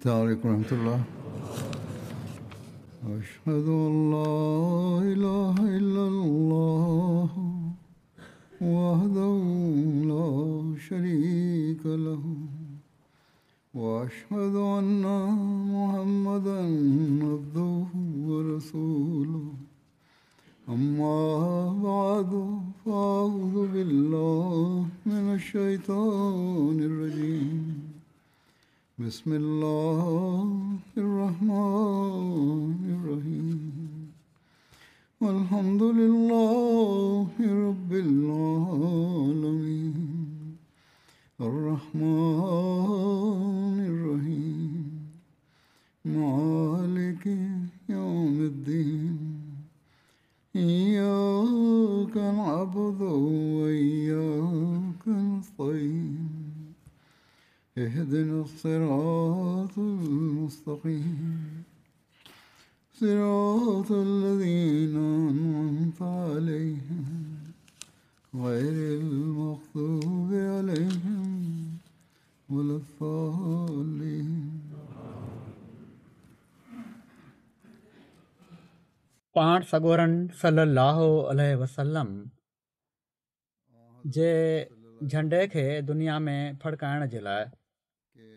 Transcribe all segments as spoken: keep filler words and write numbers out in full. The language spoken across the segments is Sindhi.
السلام عليكم ورحمة الله. أشهد أن لا إله إلا الله وحده لا شريك له وأشهد أن محمدا عبده ورسوله. أما بعد فأعوذ بالله من الشيطان الرجيم. بسم الله الرحمن الرحيم. والحمد لله رب العالمين الرحمن الرحيم مالك يوم الدين. إياك نعبد وإياك نستعين. اهدنا الصراط المستقيم صراط الذين أنعمت عليهم غير المغضوب عليهم ولا الضالين. پاڻ سڳورن صلي الله عليه وسلم جي جهنڊي کي دنيا ۾ ڦڙڪائڻ جي لاءِ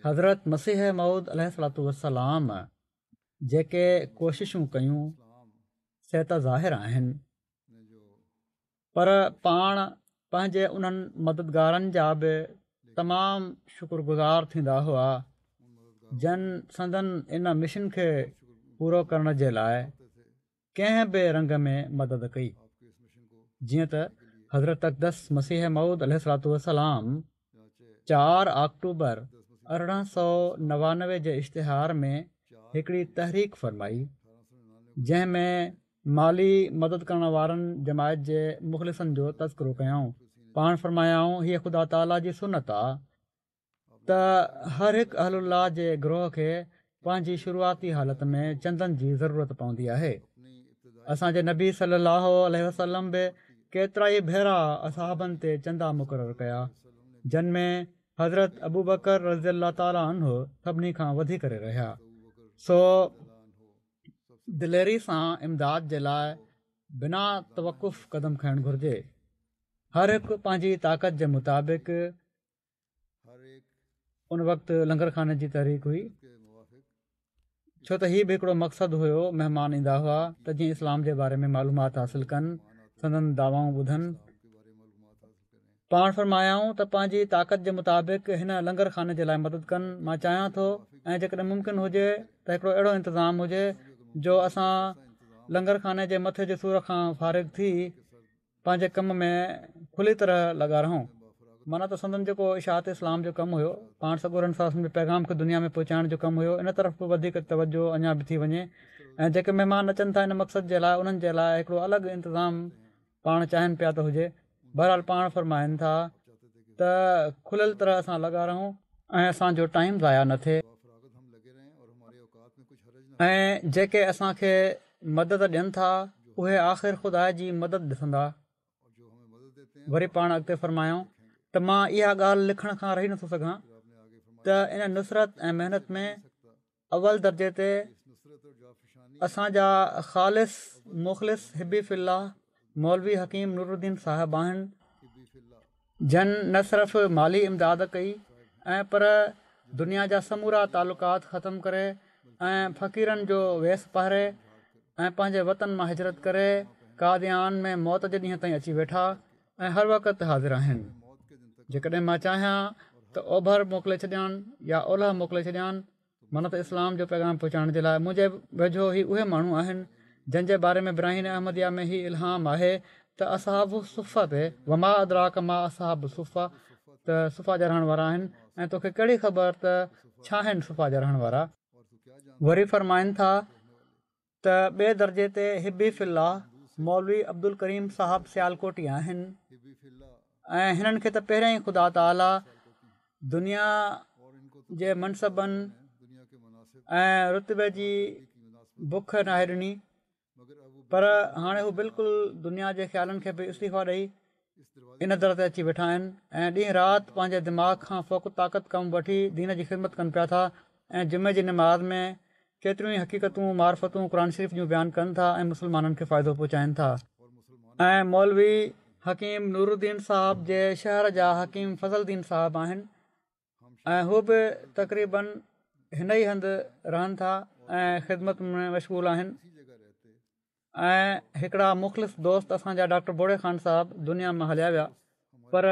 حضرت مسيح موعود عليه الصلوة والسلام جيڪي ڪوششون ڪيون سي ته ظاهر آهن، پر پاڻ پنهنجي انهن مددگارن جا به تمام شڪرگذار ٿيندا هئا جن سندن ان مشن کي پورو ڪرڻ جي لاءِ ڪنهن به رنگ ۾ مدد ڪئي. جيئن ته حضرت اقدس مسيح موعود عليه الصلوة والسلام چار آڪٽوبر ارڙهن سؤ نوانوي جي اشتهار ۾ هڪڙي تحريڪ فرمائي جنهن ۾ مالي مدد ڪرڻ وارن جماعت جي مخلصن جو تذڪرو ڪيائون. پاڻ فرمايائون، هيءَ خدا تعاليٰ جي سنت آ ته هر هڪ اهل الله جي گروهه کي پنهنجي شروعاتي حالت ۾ چندن جي ضرورت پوندي آهي. اسان جي نبي صلي الله عليه وسلم به ڪيترا ئي ڀيرا اصحابن تي چندا مقرر ڪيا، جن ۾ حضرت ابوبڪر رضي الله تعاليٰ عنه سڀني کان وڌي ڪري رهيا. سو دليري سان امداد جي لاءِ بنا توقف قدم کڻڻ گهرجي. هر هڪ پنهنجي طاقت جي مطابق. ان وقت لنگر خاني جي تحريڪ هئي، ڇو ته هيءُ به هڪڙو مقصد هيو. مهمان ايندا هئا ته جيئن اسلام جي باري ۾ معلومات حاصل ڪن، سندن دعوائون ٻڌن. پاڻ فرمايائون ته پنهنجي طاقت جي مطابق هن لنگر خاني جي لاءِ مدد ڪن. مان چاهيان ٿو ۽ جيڪڏهن ممڪن هجي ته هڪڙو اهڙو انتظام هجي جو اسان لنگر خاني جي مٿي جي سور کان فارغ ٿي پنهنجي ڪم ۾ کلي طرح لڳا رهون. معنيٰ ته سندن جيڪو اشاعت اسلام جو ڪم هيو، پاڻ سڳورن صلي الله عليه وسلم جي پيغام کي دنيا ۾ پهچائڻ جو ڪم هيو، ان طرف به وڌيڪ توجهه اڃا به ٿي وڃي. ۽ جيڪي مهمان اچن ٿا ان مقصد جي لاءِ، انهن جي لاءِ هڪڙو الڳ انتظام پاڻ چاهين پيا ته هجي. بهرحال پاڻ فرمائن ٿا ته کليل طرح اسان لڳا رهون ۽ اسان جو ٽائيم ضايع نه ٿئي، ۽ جيڪي اسان کي مدد ڏين ٿا اهي آخر خدا جي مدد ڏسندا. وري پاڻ اڳتي فرمايائون ته مان اها ڳالهه لکڻ کان رهي نٿو سگهان ته ان نصرت ۽ محنت ۾ اول درجي تي اسان جا خالص مخلص حبي في الله مولوي حڪيم نورالدين صاحب آهن، جن نه صرف مالي امداد ڪئي ۽ پر دنيا جا سمورا تعلقات ختم ڪري ۽ فقيرن جو ويس پهري ۽ پنهنجي وطن مان هجرت ڪري قاديان ۾ موت جي ڏينهن تائين اچي ويٺا ۽ هر وقت حاضر آهن. جيڪڏهن مان چاهيان ته اوڀر موڪلي ڇڏيان يا اولهه موڪلي ڇڏيان، معنيٰ ته اسلام جو پيغام پهچائڻ جي لاءِ منهنجي ويجهو هي اهي ماڻهو آهن جن جي باري ۾ براهين احمديه ۾ هي الهام آهي ته اصحاب الصفه تي وما ادراڪ ما اصحاب الصفه، ته صفه جا رهڻ وارا آهن ۽ توکي ڪهڙي خبر ته ڇا آهن صفه جا رهڻ وارا. وري فرمائن ٿا ته ٻئي درجي تي حبي في الله مولوي عبدل ڪريم صاحب سيالڪوٽي آهن ۽ هنن کي ته پهريان ئي خدا تعاليٰ دنيا جي منصبن ۽ رتبي جي بک ناهي ڏني، پر هاڻي هو بلڪل دنيا جي خيالن کي به استعيفا ڏيئي ان در تي اچي ويٺا آهن ۽ ڏينهن رات پنهنجي دماغ کان فوق طاقت ڪم وٺي دين جي خدمت ڪن پيا ٿا. ۽ جمعي جي نماز ۾ ڪيتريون ئي حقيقتون معرفتون قرآن شريف جون بيان ڪن ٿا ۽ مسلمانن کي فائدو پهچائن ٿا. ۽ مولوي حڪيم نورالدين صاحب جي شهر جا حڪيم فضل الدين صاحب آهن ۽ هو به تقريبن هن ئي هنڌ رهن ٿا ۽ خدمت ۾ مشغول آهن. ۽ هڪڙا مخلص دوست اسان جا ڊاڪٽر بوڙي خان صاحب دنيا مان هليا ويا، پر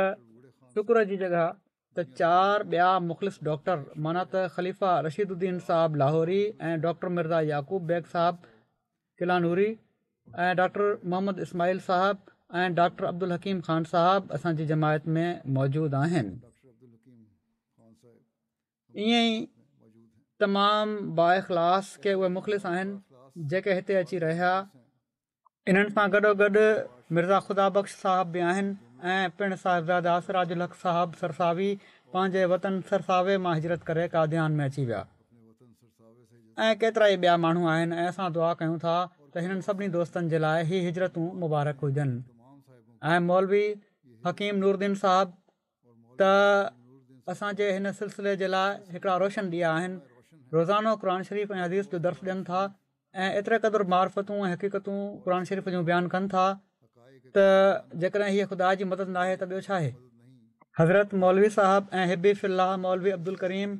شڪر جي جڳهه ته چار ٻيا مخلص ڊاڪٽر معنيٰ ته خليفه رشيد الدين صاحب لاهوري ۽ ڊاڪٽر مرزا يعقوب بيگ صاحب ڪلانوري ۽ ڊاڪٽر محمد اسماعيل صاحب ۽ ڊاڪٽر عبدالحڪيم خان صاحب اسان جي جماعت ۾ موجود آهن. ائين ئي تمام بااخلاص ڪي اهي مخلص آهن جيڪي هتي اچي رهيا. انهن سان گڏوگڏ مرزا خدا بخش صاحب به آهن ۽ پڻ صاحبزاده سراج الحق صاحب سرساوي پنهنجي وطن سرساوي مان هجرت ڪري قاديان ۾ اچي ويا ۽ ڪيترائي ٻيا ماڻهو آهن ۽ اسان دعا ڪيون ٿا ته هنن سڀني دوستن جي لاء هي هجرتون مبارڪ هجن ۽ مولوي حڪيم نورالدين صاحب ته اسان جي هن سلسلي جي لاء هڪڙا روشن ڏيئا آهن. روزانو قرآن شريف ۽ حديث جو درس ڏين ٿا ۽ ايتري قدر معرفتون ۽ حقيقتون قرآن شريف جون بيان ڪن ٿا ته جيڪڏهن هيء خدا جي مدد ناهي ته ٻيو ڇا آهي؟ حضرت مولوي صاحب ۽ حبي في الله مولوي عبدالڪريم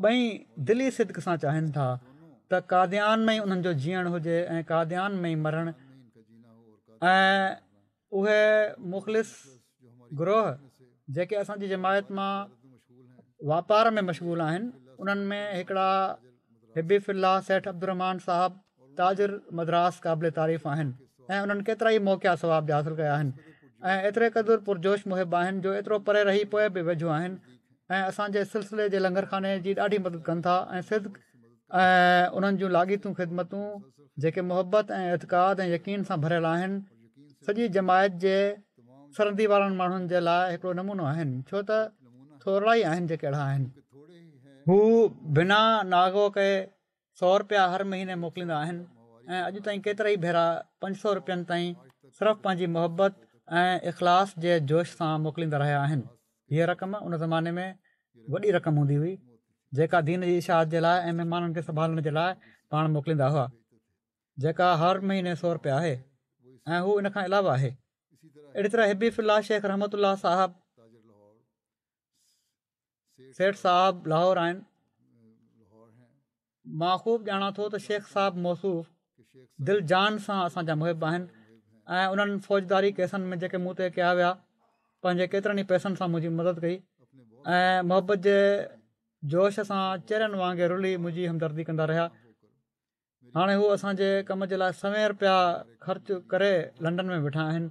ٻئي دلي صدق سان چاهين ٿا ته قاديان ۾ ئي انهن جو جيئڻ هجي ۽ قاديان ۾ ئي مرڻ ۽ اهي مخلص گروهه جيڪي اسان جي جماعت مان واپار ۾ مشغول آهن انهن ۾ هڪڙا حبي في الله سيٺ عبدالرحمان صاحب تاجر مدراس قابل تعريف آهن ۽ انهن ڪيترائي موقعا ثواب جا حاصل ڪيا آهن ۽ ايتري قدر پرجوش محب آهن جو ايترو پري رهي پوء به ويجهو آهن ۽ اسان جي سلسلي جي لنگر خاني جي ڏاڍي مدد ڪن ٿا ۽ صدق ۽ انهن جون لاڳيتون خدمتون جيڪي محبت ۽ اعتقاد ۽ يقين سان ڀريل آهن سڄي جماعت جي سرندي وارن ماڻهن جي لاء هڪڙو نمونو آهن ڇو ته ٿورڙا ئي آهن جيڪي اهڙا آهن. هو بنا ناغو ڪئي سؤ رپيا هر مهيني موڪليندا آهن ۽ اڄ تائين ڪيترائي ڀيرا پنج سؤ رپين تائين صرف پنهنجي محبت ۽ اخلاص جي جوش سان موڪليندا رهيا آهن. هيء رقم ان زماني ۾ وڏي رقم هوندي هئي، جيڪا دين جي اشاعت جي لاء ۽ مهمانن کي سنڀالڻ جي لاء پاڻ موڪليندا هئا، جيڪا هر مهيني سؤ رپيا آهي ۽ هو ان کان علاوه آهي. اهڙي طرح حبي في الله شيخ رحمت الله صاحب سيٺ صاحب لاهور آهن. مان خوب ڄاڻان ٿو ته شيخ صاحب موصوف دل جان سان اسان جا محب آهن ۽ انهن فوجداري ڪيسن ۾ جيڪي مون تي ڪيا ويا پنهنجي ڪيترن ئي پئسن سان منهنجي مدد ڪئي ۽ محبت جي جوش سان چرين وانگي رلي منهنجي همدردي ڪندا رهيا. هاڻي هو اسان جي ڪم جي لاء سوين رپيا خرچ ڪري لنڊن ۾ ويٺا آهن.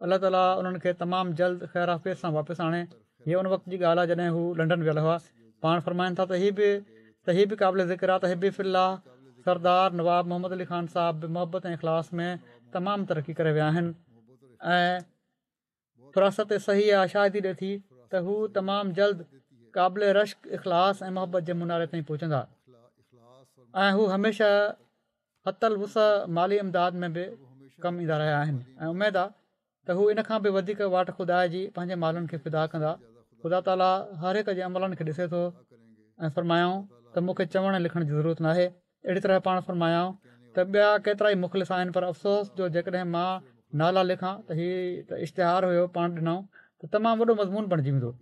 الله تعاليٰ انهن کي تمام جلد خير عافيت سان واپس آڻي. هيء ان وقت جي ڳالهه آهي جڏهن هو لنڊن ويل هئا. پاڻ فرمائن ٿا ته هي به ته هي به قابل ذڪر آهي ته حبي في الله سردار نواب محمد علي خان صاحب به محبت ۽ اخلاص ۾ تمام ترقي ڪري ويا آهن ۽ فراست صحيحه شاهدي ڏي ٿي ته هو تمام جلد قابل رشڪ اخلاص ۽ محبت جي مناري تائين پهچندا ۽ هو هميشه حتي الوسع مالي امداد ۾ به ڪم ايندا رهيا آهن ۽ اميد آهي ته هو ان کان به وڌيڪ واٽ خدا جي پنهنجي مالن کي فدا ڪندا. خدا تعاليٰ هر هڪ جي عملن کي ڏسي ٿو ۽ فرمايائون ته مون کي چوڻ ۽ لکڻ جي ضرورت ناهي. اهڙي طرح پاڻ فرمايائون ته ٻيا ڪيترائي مخلص آهن پر افسوس جو جيڪڏهن مان نالا لکان ته هي ته اشتهار هيو پاڻ ڏنائون ته تمام وڏو مضمون بڻجي ويندو.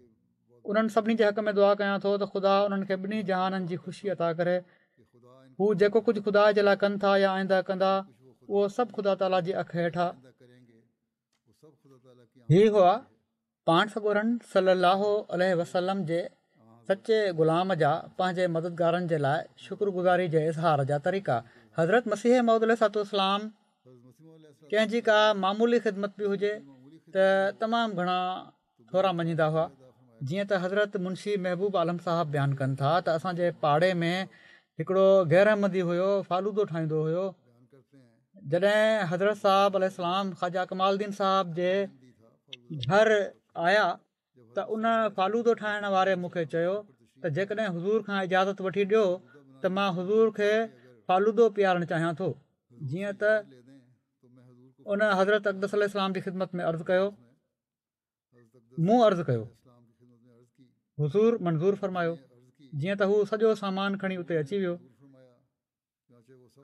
انهن سڀني جي حق ۾ دعا ڪيان ٿو ته خدا انهن کي ٻنهي جهانن جي خوشي عطا ڪري. هو جيڪو ڪجهه خدا جي لاء ڪن ٿا يا آئنده ڪندا، اهو سڀ خدا تعاليٰ جي اک هيٺ آهي. هي هئا پاڻ سڳورن صلّي اللّٰه عليه وسلّم جي سچي غلام جا پنهنجي مددگارن جي لاء شڪر گذاري جي اظهار جا طريقا. حضرت مسيح موعود عليه الصلوة والسلام ڪنهن جي ڪا معمولي خدمت به هجي ته تمام گهڻا ٿورا مڃيندا هئا. جيئن ته حضرت منشي محبوب عالم صاحب بيان ڪن ٿا ته اسان جي پاڙي ۾ هڪڙو غير احمدي هيو فالودو ٺاهيندو هيو جڏهن حضرت صاحب عليه السلام خواجه ڪمال الدين صاحب جي گهر آيا ته ان فالودو ٺاهڻ واري مون کي چيو ته جيڪڏهن حضور کان اجازت وٺي ڏيو ته مان حضور کي فالودو پيارڻ چاهيان ٿو جيئن ته ان حضرت اقدس عليه السلام جي خدمت ۾ عرض ڪيو مون عرض ڪيو، حضور منظور فرمايو. جيئن ته هو سڄو سامان کڻي اتي اچي ويو.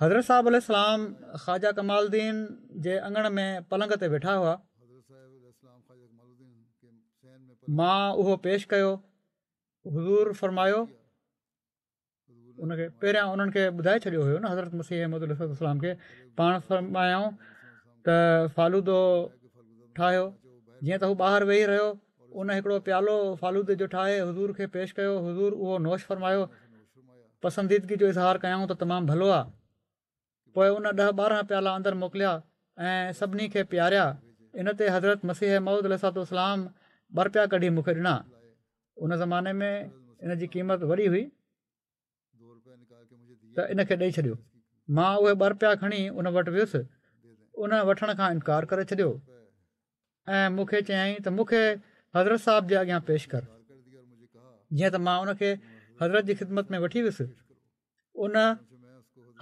حضرت صاحب عليه السلام خواجه ڪمال الدين جي اڱڻ ۾ پلنگ تي ويٺا هئا. مان اهو پيش ڪيو. حضور فرمايو، ان کي پهريان انهن کي ٻڌائي ڇڏيو هيو نه حضرت مسيح موعود عليه السلام کي. پاڻ فرمايائون ته فالودو ٺاهيو. جيئن ته هو ٻاهر ويهي رهيو، ان هڪڙو پيالو فالودي جو ٺاهي حضور کي پيش ڪيو. حضور اهو نوش فرمايو، پسنديدگي جو اظهار ڪيائون ته تمام ڀلو آهي. پوءِ ان ڏهه ٻارهن پيالا اندر موڪليا ۽ سڀني کي پياريا. ان تي حضرت مسيح موعود عليه السلام ٻه رپيا ڪڍي مون کي ڏنا. ان زماني ۾ ان جي قيمت وڏي هئي ته ان کي ڏئي ڇڏيو. مان اهي ٻه رپيا کڻي ان وٽ ويس. ان وٺڻ کان انڪار ڪري ڇڏيو ۽ مون کي چيائين ته مون کي حضرت صاحب جي اڳيان پيش ڪر. جيئن ته مان ان کي حضرت جي خدمت ۾ وٺي ويس. ان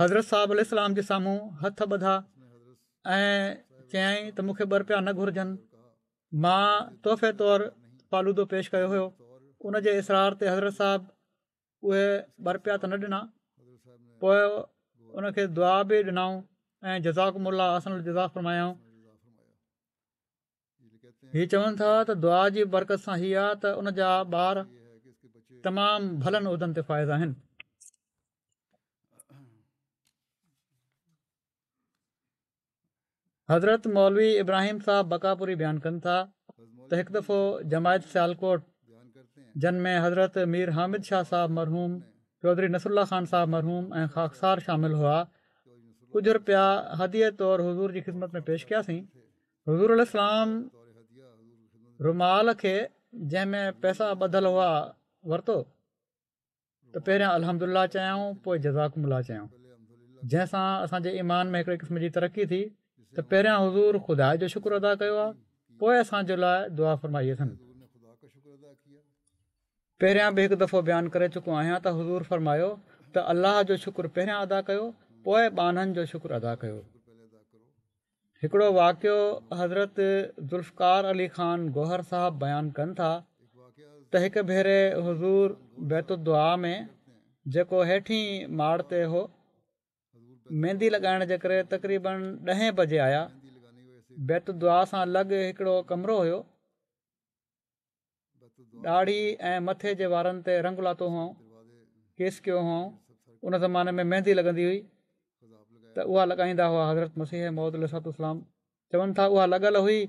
حضرت صاحب عليه السلام جي سامهون هٿ ٻڌا ۽ چيائين ته مون کي ٻه رپيا نه گهرجن. مان تحفي طور فالودو پيش ڪيو هيو. ان جي اصرار تي حضرت صاحب اهي ٻه رپيا ته نه ڏنا، پوءِ ان کي دعا به ڏنائون ۽ جزاڪم الله احسن الجزا فرمايائون. هي چون ٿا ته دعا جي برڪت سان هي آهي ته ان جا ٻار تمام ڀلن عهدن تي فائز آهن. حضرت مولوي ابراهيم صاحب بڪاپوري بيان ڪن ٿا ته هڪ دفعو جماعت سيالڪوٽ جن ۾ حضرت مير حامد شاهه صاحب مرحوم، چوڌري نصر الله خان صاحب مرحوم ۽ خاڪسار شامل هئا، ڪجهه رپيا هديي طور حضور جي خدمت ۾ پيش ڪياسين. حضور عليه السلام رومال کي جنهن ۾ پئسا ٻڌل هئا ورتو ته پهريان الحمدلله چيائون، پوءِ جزاڪم الله چيائون، جنهن سان اسان جي ايمان ۾ هڪڙي قسم جي ترقي ٿي ته پهريان حضور خدا جو شڪر ادا ڪيو آهي، پوءِ اسان جي لاءِ دعا فرمائي اٿن. پهريان به هڪ دفعو بيان ڪري چڪو آهيان ته حضور فرمايو ته الله جو شڪر پهريان ادا ڪيو، پوءِ ٻانهن جو شڪر ادا ڪيو. هڪڙو واقعو حضرت ذوالفقار علي خان گوهر صاحب بيان ڪن ٿا ته هڪ ڀيري حضور بيت الدعا ۾ جيڪو هيٺين ماڙ تي هو، مهندي لڳائڻ جي ڪري تقريبن ڏهين بجي آيا. بيت الدعا سان لڳ هڪڙو ڪمرو هيو. ڏاڙهي ۽ مٿي جي وارن تي رنگ لاتو هئائون، ڪيس ڪيو هئائون. ان زماني ۾ مهندي لڳندي هئي ته اها لڳائيندا هئا. حضرت مسيح موعود عليه السلام چون ٿا اها لڳل هئي.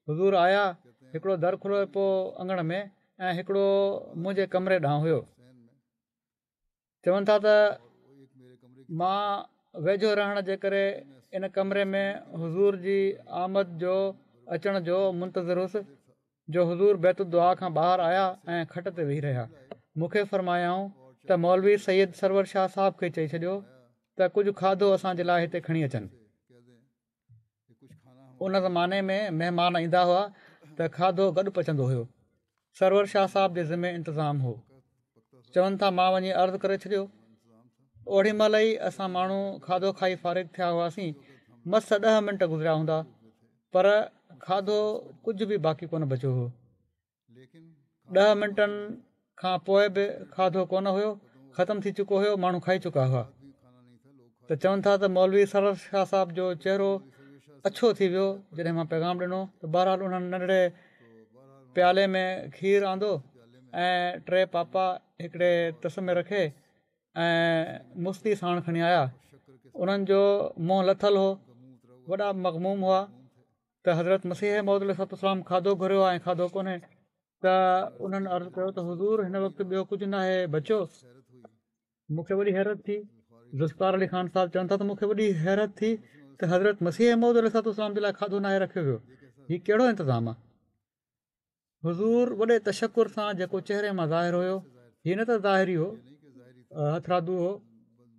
حضور آيا، هڪڙو در کليو پيو اڱڻ ۾ ۽ هڪڙو منهنجي ڪمري ڏانهن هيو. چون ٿا ته مان ويجهو رهڻ جي ڪري ان ڪمري ۾ حضور جي آمد جو اچڻ جو منتظر هوس، جو حضور بيت الدعا کان ٻاهر آيا ۽ کٽ تي ويهي رهيا. مون کي فرمايائون ته مولوي سيد سرور شاهه صاحب کي چئي ڇڏيو ته ڪجهه کاڌو اسان جي لاءِ هتي کڻي اچن. ان زماني ۾ مهمان ايندا هئا ته کاڌو گڏ پچندو هيو. سرور شاهه صاحب جي ذمي انتظام هو. چون ٿا مان وڃي عرض ڪري ڇڏيو. اوڏي مهل ئي اسان ماڻهو کاڌو کائي فارغ ٿيا هئاسين. مس ڏهه منٽ گذريا هوندا، پر کاڌو ڪجهه به باقي ڪونه بچيو هو. ڏهه منٽن کان پوءِ به کاڌو ڪونه هيو، ختم ٿي چڪو هيو، ماڻهو کائي چڪا هئا. ته چون ٿا ته مولوي سرور شاهه صاحب جو چهرو اڇو ٿي ويو جڏهن مان پيغام ڏنو. ته بهرحال انهن ننڍڙي پيالي ۾ کير آندو ۽ ٽي پاپا هڪڙي تس ۾ رکي ۽ مستي ساڻ کڻي آيا. انهن جو منهن لٿل هو، وڏا مغموم هئا. ته حضرت مسيح موعود عليه السلام کاڌو گهريو آهي ۽ کاڌو ڪونهي. ته انهن عرض ڪيو ته حضور هن وقت ٻيو ڪجهه ناهي بچيو. مون کي وڏي حيرت ٿي. ذوالفقار علي خان صاحب چون ٿا ته مون کي وڏي حيرت ٿي ته حضرت مسيح موعود عليه السلام جي لاءِ کاڌو ناهي رکيو ويو، هي ڪهڙو انتظام آهي؟ حضور وڏي تشڪر سان جيڪو چهري مان ظاهر هيو، هي نه ته ظاهري هو، هٿرادو هو،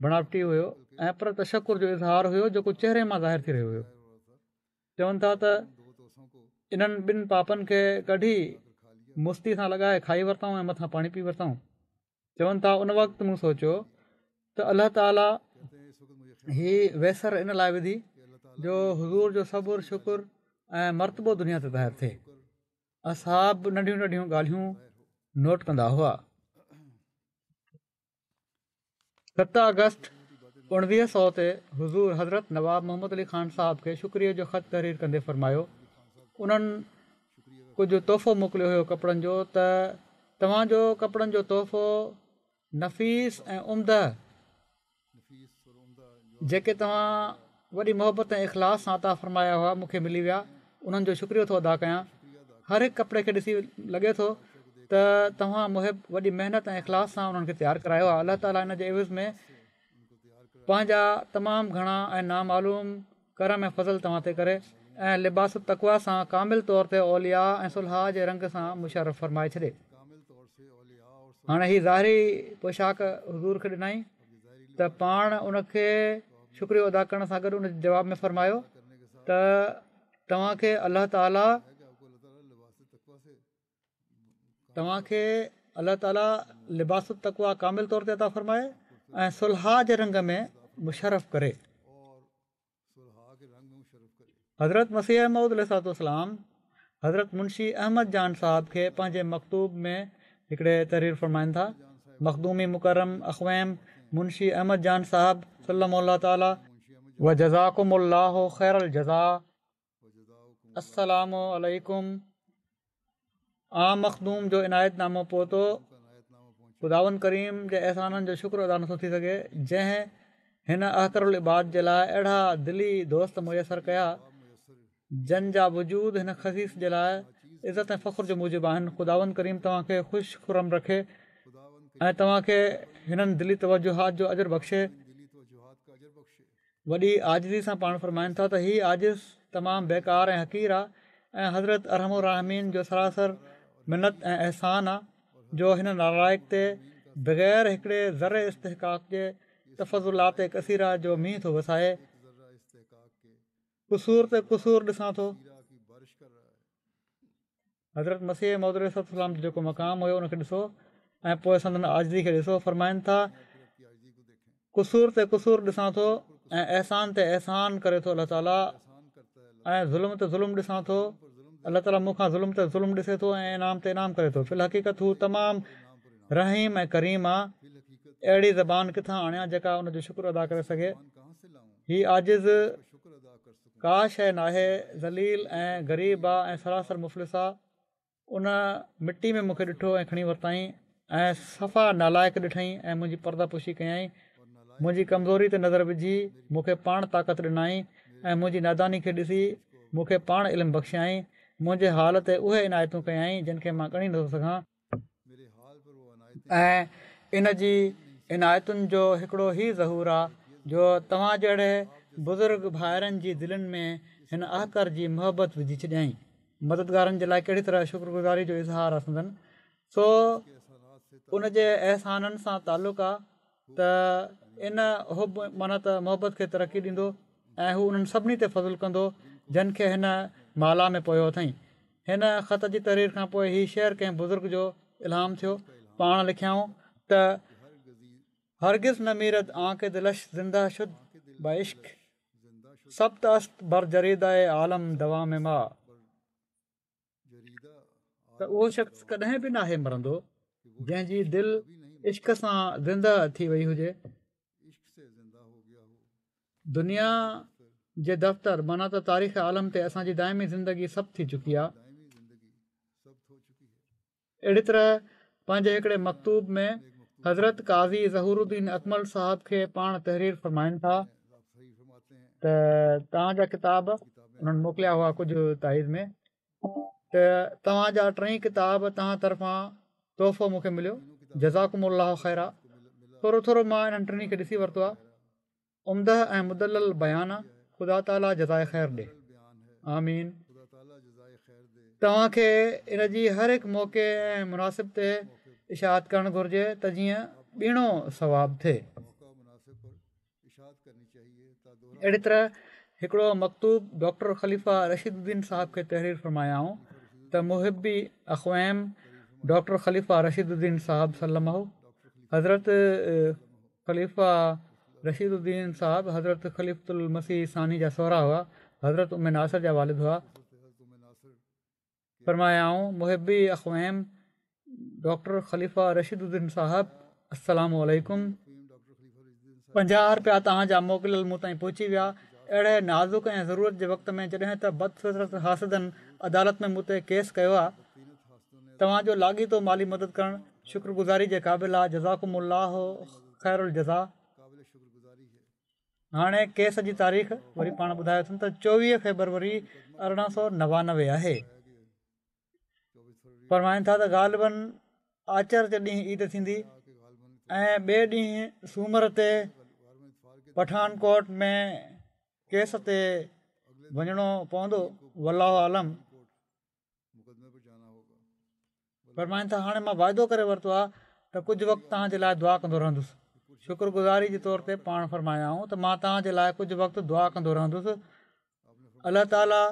بڻاوٽي هيو ۽ پر تشڪر جو اظهار هيو جيڪو چهري مان ظاهر ٿي رهيو هيو. چون ٿا ته انهن ٻن پاپن کي ڪڍي مستي سان لڳائي کائي ورتائون ۽ مٿان پاڻي پي ورتائون. چون ٿا ان وقت مون سوچيو ته الله تعاليٰ هي ويسر ان لاءِ وڌي جو حضور جو صبر شڪر ۽ مرتبو دنيا تي ظاهر ٿئي. اصحاب ننڍيون ننڍيون ڳالهيون نوٽ ڪندا هئا. ست آگسٽ اڻويهه سؤ تي حضور حضرت نواب محمد علي خان صاحب کي شڪريه جو خط تحرير ڪندي فرمايو، انهن ڪجهه تحفو موڪليو هيو ڪپڙن جو، ته توهان جو ڪپڙن جو تحفو نفيس ۽ عمده جيڪي توهان وڏي محبت ۽ اخلاص سان عطا فرمايا هئا مون کي ملي ويا، انهن جو شڪريو ٿو ادا ڪيان. هر هڪ ڪپڙي کي ڏسي لڳي ٿو ته توهان محب وڏي محنت ۽ اخلاص سان انهن کي تيار ڪرايو آهي. الله تعاليٰ ان جي عوض ۾ پنهنجا تمام گهڻا ۽ نامعلوم ڪرم ۽ فضل توهان تي ڪري ۽ لباس التقويٰ سان ڪامل طور تي اولياء ۽ صلحاء جي رنگ سان مشرف فرمائي ڇڏي. هاڻي هي ظاهري پوشاڪ حضور کي ڏنائين ته پاڻ ان کي شڪريو ادا ڪرڻ سان گڏ ان جي جواب ۾ فرمايو ته توهان کي الله تعاليٰ توهان کي الله تعاليٰ لباس التقويٰ ڪامل طور تي عطا فرمائي ۽ صلحاء جي رنگ ۾ مشرف ڪري. حضرت مسيح موعود عليه الصلوة والسلام حضرت منشي احمد جان صاحب کي پنهنجي مڪتوب ۾ هڪڙي تحرير فرمائن ٿا، مخدومي مڪرم اخويم منشي احمد جان صاحب سلم الله تعاليٰ وجزاڪم الله خير الجزاء. السلام عليڪم. عام مخدوم جو عنايت نامو پهتو. خداوند ڪريم جي احسانن جو شڪر ادا نٿو ٿي سگهي، جنهن هن احقر العباد جي لاءِ اهڙا دلي دوست ميسر ڪيا، جن جا وجود هن خسيس جي لاءِ عزت ۽ فخر جو موجب آهن. خداوند ڪريم توهان کي خوش خرم رکي ۽ توهان کي هنن دلي توجهات جو اجر بخشي. وڏي عاجزي سان پاڻ فرمائن ٿا ته هي عاجز تمام بيڪار ۽ حقير آ ۽ حضرت ارحم الراحمين جو سراسر منت ۽ احسان آ جو هن نالائق تي بغير هڪڙي ذري استحقاق جي تفضلات ڪثيره جو مينهن ٿو وسائي. قصور تي قصور ڏسان ٿو. حضرت مسيح موعود عليه الصلوة والسلام جو جيڪو مقام هيو ان کي ڏسو ۽ پوءِ سندن عاجزي کي ڏسو. فرمائن ٿا قصور تي قصور ڏسان ٿو ۽ احسان تي احسان ڪري ٿو الله تعاليٰ، ۽ ظلم تي ظلم ڏسان ٿو، الله تعاليٰ مون کان ظلم تي ظلم ڏسي ٿو ۽ انعام تي انعام ڪري ٿو. في الحقيقت هو تمام رحيم ۽ ڪريم آ. اهڙي زبان ڪٿان آڻيان جيڪا ان جو شڪر ادا ڪري سگهي. هي عاجز ڪا شيءِ ناهي، ذليل ۽ غريب آ ۽ سراسر مفلس آ. ان مٽي ۾ مون کي ڏٺو ۽ کڻي ورتائين ۽ صفا نالائق ڏٺائين ۽ منهنجي پرده پوشي ڪيائين. منهنجي ڪمزوري تي نظر وجهي مون کي پاڻ طاقت ڏنائين ۽ منهنجي ناداني کي ڏسي مون کي پاڻ علم بخشيائين. منهنجي حال تي اهي عنايتون ڪيائين جن کي مان ڳڻي نٿو سگهان. ۽ ان جي عنايتن جو هڪڙو هي ظهور آ جو توهان جهڙي بزرگ ڀائرن جي دلين ۾ هن احقر جي محبت وجهي ڇڏيائين. مددگارن جي لاءِ ڪهڙي طرح شڪرگذاري جو اظهار آ سندن سو ان جي احسانن سان تعلق آ ته ان حب معنيٰ ته محبت کي ترقي ڏيندو ۽ هو انهن سڀني تي فضل ڪندو جن کي هن مالا ۾ پويو اٿائين. هن خط جي تحرير کان پوءِ هي شعر ڪنهن بزرگ جو الهام ٿيو. پاڻ لکيائون ته هرگز نميرد آنڪه دلش زنده شد بعشق ثبت است بر جريده عالم دوام ما. ته اهو شخص ڪڏهن به ناهي مرندو جنهن جي دل عشق سان زنده ٿي وئي هجي. دنيا جي دفتر معنيٰ ته تاريخ عالم تي اسان جي دائمي زندگي ثبت ٿي چڪي آهي. اهڙي طرح پنهنجي هڪڙي مڪتوب ۾ حضرت قاضي ظهور الدين اڪمل صاحب کي پاڻ تحرير فرمائن ٿا ته توهان جا ڪتاب انهن موڪليا هئا ڪجهه تائيد ۾ ته توهان جا ٽئي ڪتاب توهان طرفان تحفو مون کي مليو، جزاڪم الله خيرا. ٿورو ٿورو مان انهن ٽنهي کي ڏسي ورتو آهي. عمده ۽ مدلل بيان آ. خدا تعاليٰ جزائي خير ڏي، آمين. توهان کي ان جي هر هڪ موقعي ۽ مناسب تي اشاعت ڪرڻ گهرجي ته جيئن ٻيڻو ثواب ٿئي. اهڙي طرح هڪڙو مڪتوب ڊاڪٽر خليفه رشيد الدين صاحب کي تحرير فرمايائون ته محبي اخويم ڊاڪٽر خليفه رشيد الدين صاحب سلمه. حضرت خليفه رشيد الدين صاحب حضرت خليفة المسيح ثاني جا سهرا هئا، حضرت ام ناصر جا والد هئا. فرمايائون محبي اخويم ڊاڪٽر خليفه رشيد الدين صاحب السلام عليڪم. پنجاهه رپيا توهان جا موڪليل مون تائين پهچي ويا. اهڙي نازڪ ۽ ضرورت جي وقت ۾ جڏهن ته بدفطرت حاسدن عدالت ۾ مون تي ڪيس ڪيو آهي، توهان جو لاڳيتو مالي مدد ڪرڻ شڪر گذاري جي قابل آهي. جزاڪم الله خير الجزا. هاڻي ڪيس جي تاريخ وري پاڻ ٻڌايو اٿن ته چوويهه فيبروري ارڙهن سؤ نوانوي آهي. فرمائن ٿا ته غالباً آچر جي ڏينهن عيد ٿيندي ۽ ٻئي ڏينهن سومر تي پٺان ڪوٽ ۾ ڪيس تي وڃڻو پوندو، والله اعلم. فرمائن ٿا هاڻي مان واعدو ڪري ورتو آهي ته ڪجهه وقت توهان جي لاءِ دعا ڪندو رهندس. شڪر گذاري جي طور تي پاڻ فرمايائون ته مان توهان جي لاءِ ڪجهه وقت دعا ڪندو رهندس. الله تعاليٰ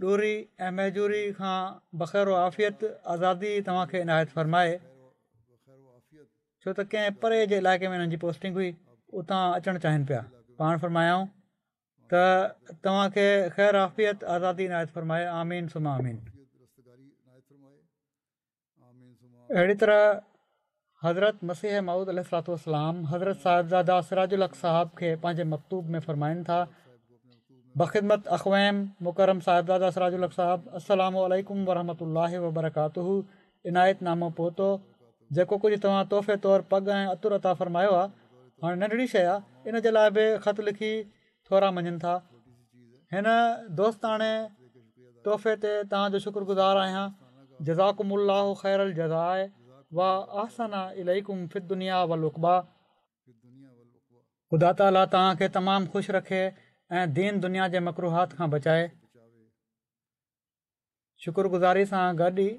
ڏوري ۽ مهجوري کان بخير و عافيت آزادي توهان کي عنايت فرمائي. ڇو ته ڪنهن پري جي علائقي ۾ انهن جي پوسٽنگ هئي، اتان اچڻ چاهين پيا. پاڻ فرمايائون ته توهان کي خير عافيت آزادي عنايت فرمائي، آمين ثم آمين. اهڙي طرح حضرت مسيح موعود عليه الصلوة والسلام حضرت صاحبزاده سراج الحق صاحب کي پنهنجي مڪتوب ۾ فرمائن ٿا، بخدمت اخويم مڪرم صاحبزاده سراج الحق صاحب، السلام عليڪم ورحمة الله وبرڪاته. عنايت نامو پهتو، جيڪو ڪجهه توهان تحفي طور پڳ ۽ عطر عطا فرمايو آهي، هاڻي ننڍڙي شيءِ آهي، ان جي لاءِ به خط لکي ٿورا مڃن ٿا. هن دوستاڻي تحفي تي توهان جو شڪر گذار آهيان. جزاڪم الله خير الجزاء و احسن اليڪم في الدنيا والعقبيٰ. خدا تعاليٰ توهان کي تمام خوش رکي ۽ دين دنيا جي مڪروهات کان بچائي. شڪر گذاري سان گڏ ئي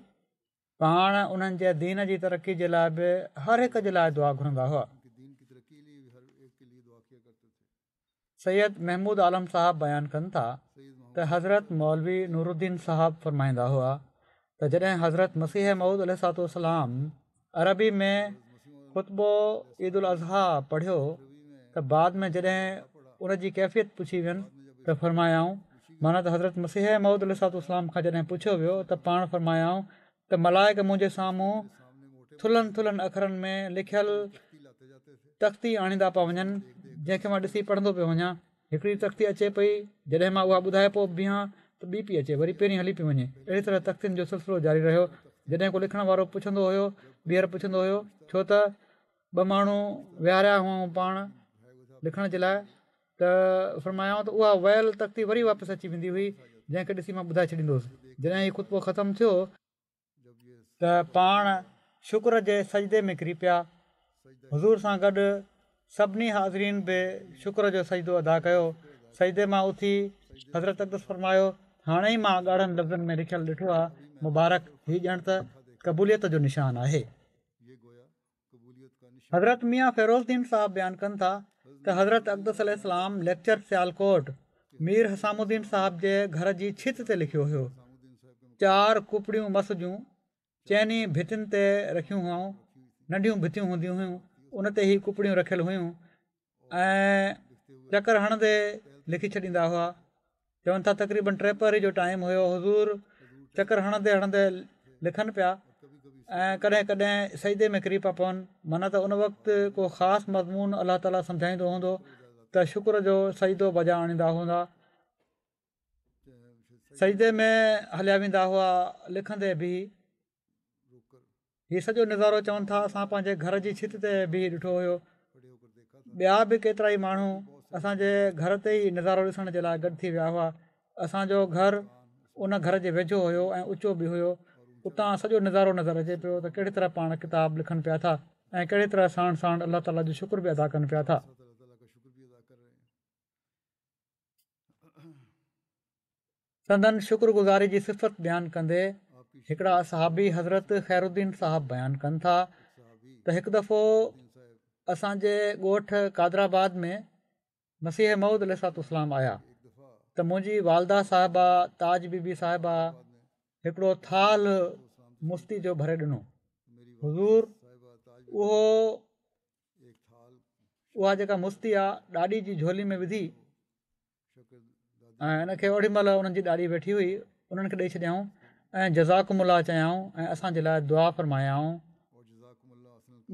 پاڻ انهن جي دين جي ترقي جي لاءِ به هر هڪ جي لاءِ دعا گهرندا هئا. سيد محمود عالم صاحب بيان ڪن ٿا ته حضرت مولوي نورالدين صاحب فرمائيندا هئا ته جڏهن حضرت مسيح موعود عليه الصلوة والسلام عربي ۾ خطبو عيد الاضحيٰ پڙهيو ته بعد ۾ جڏهن ان جي ڪيفيت پڇي وين ته فرمايائون، معنيٰ ته حضرت مسيح موعود عليه الصلوة والسلام کان جڏهن پڇيو ويو ته پاڻ فرمايائون ته ملائڪ منهنجي سامهون ٿلهن ٿلهن اکرن ۾ لکيل تختي آڻيندا پيا وڃن، جنهن کي مان ڏسي پڙهندو پيو وڃان. هڪڙي تختي اچي پئي، جڏهن مان اها ٻڌائي پيو بيهان ته ٻي پئي اچي، وري پهرين هلي پئي وڃي. اهڙي طرح تختين جو سلسلو جاري رهيو. جڏهن ڪو لکڻ وارو پڇندو هيو، ٻيهر پڇندو هيو، ڇو ته ٻه ماڻهو ويهاريا هئائون پاڻ لکڻ جي لاءِ، ته فرمايائون ته اها ويل تختي وري واپس اچي ويندي هئي، جنهن کي ڏسي مان ٻڌائي ڇڏيندو هوس. جڏهن هي خطبو ختم ٿيو ته پاڻ شڪر جي سجدي ۾ ڪري پيا. حضور سان گڏ سڀني حاضرين به شڪر جو سجدو ادا ڪيو. سجدي مان اٿي حضرت اقدس فرمايو، هاڻي ئي مان ڳاڙهن لفظن ۾ لکيل ڏٺو آهي، مبارڪ، هي ڄڻ ته قبوليت جو نشان آهي. حضرت ميان فيروز الدين صاحب بيان ڪن ٿا ته حضرت اقدس عليه السلام ليڪچر سيالڪوٽ مير حسام الدين صاحب جي گهر جي ڇت تي لکيو هيو. چار ڪپڙيون مس جون چئني ڀتين تي رکيون هئائون، ننڍيون ڀتيون هونديون هيون، ان تي هي ڪپڙيون رکيل هيون ۽ چڪر هڻندي لکي ڇڏيندا هئا. چون ٿا تقريبن ٽي پهري جو ٽائيم هيو، حضور چڪر هڻندي هڻندي لکن پيا ۽ ڪڏهن ڪڏهن سجدي ۾ ڪري پيا پون. معنيٰ ته ان وقت ڪو خاص مضمون الله تعاليٰ سمجهائيندو هوندو ته شڪر جو سجدو بجا آڻيندا هوندا. سجدي ۾ هليا ويندا هئا لکندي به. هي سڄو نظارو چون ٿا اسان پنهنجي گهر جي ڇت تي بيهي ڏٺو هيو. ٻيا به ڪيترا ئي ماڻهو اسان جي گهر تي ئي نظارو ڏسڻ جي لاءِ گڏ ٿي ويا هئا. اسان جو گهر ان گهر جي ويجهو هيو ۽ اوچو به هيو. اتان سڄو نظارو نظر اچي پيو ته ڪهڙي طرح پاڻ ڪتاب لکن پيا ٿا ۽ ڪهڙي طرح ساڻ ساڻ الله تعاليٰ جو شڪر به ادا ڪن پيا ٿا. سندن شڪر گذاري جي صفت بيان ڪندي هڪڙا صحابي حضرت خير الدين صاحب بيان ڪن ٿا ته هڪ دفعو اسان جي ڳوٺ قادرآباد ۾ مسيح موعود عليه الصلوة والسلام آيا ته منهنجي والده صاحبه تاج بي بي صاحبه هڪڙو ٿالهه مستي جو ڀري ڏنو. حضور اهو اها جيڪا مستي آهي ڏاڏي جي جهولي ۾ وڌي ۽ ان کي اوڏي مهل انهن جي ڏاڏي ويٺي هئي، انهن کي ڏيئي ڇڏيائون ۽ جزاڪم الله چيائون ۽ اسان جي لاءِ دعا فرمايائون.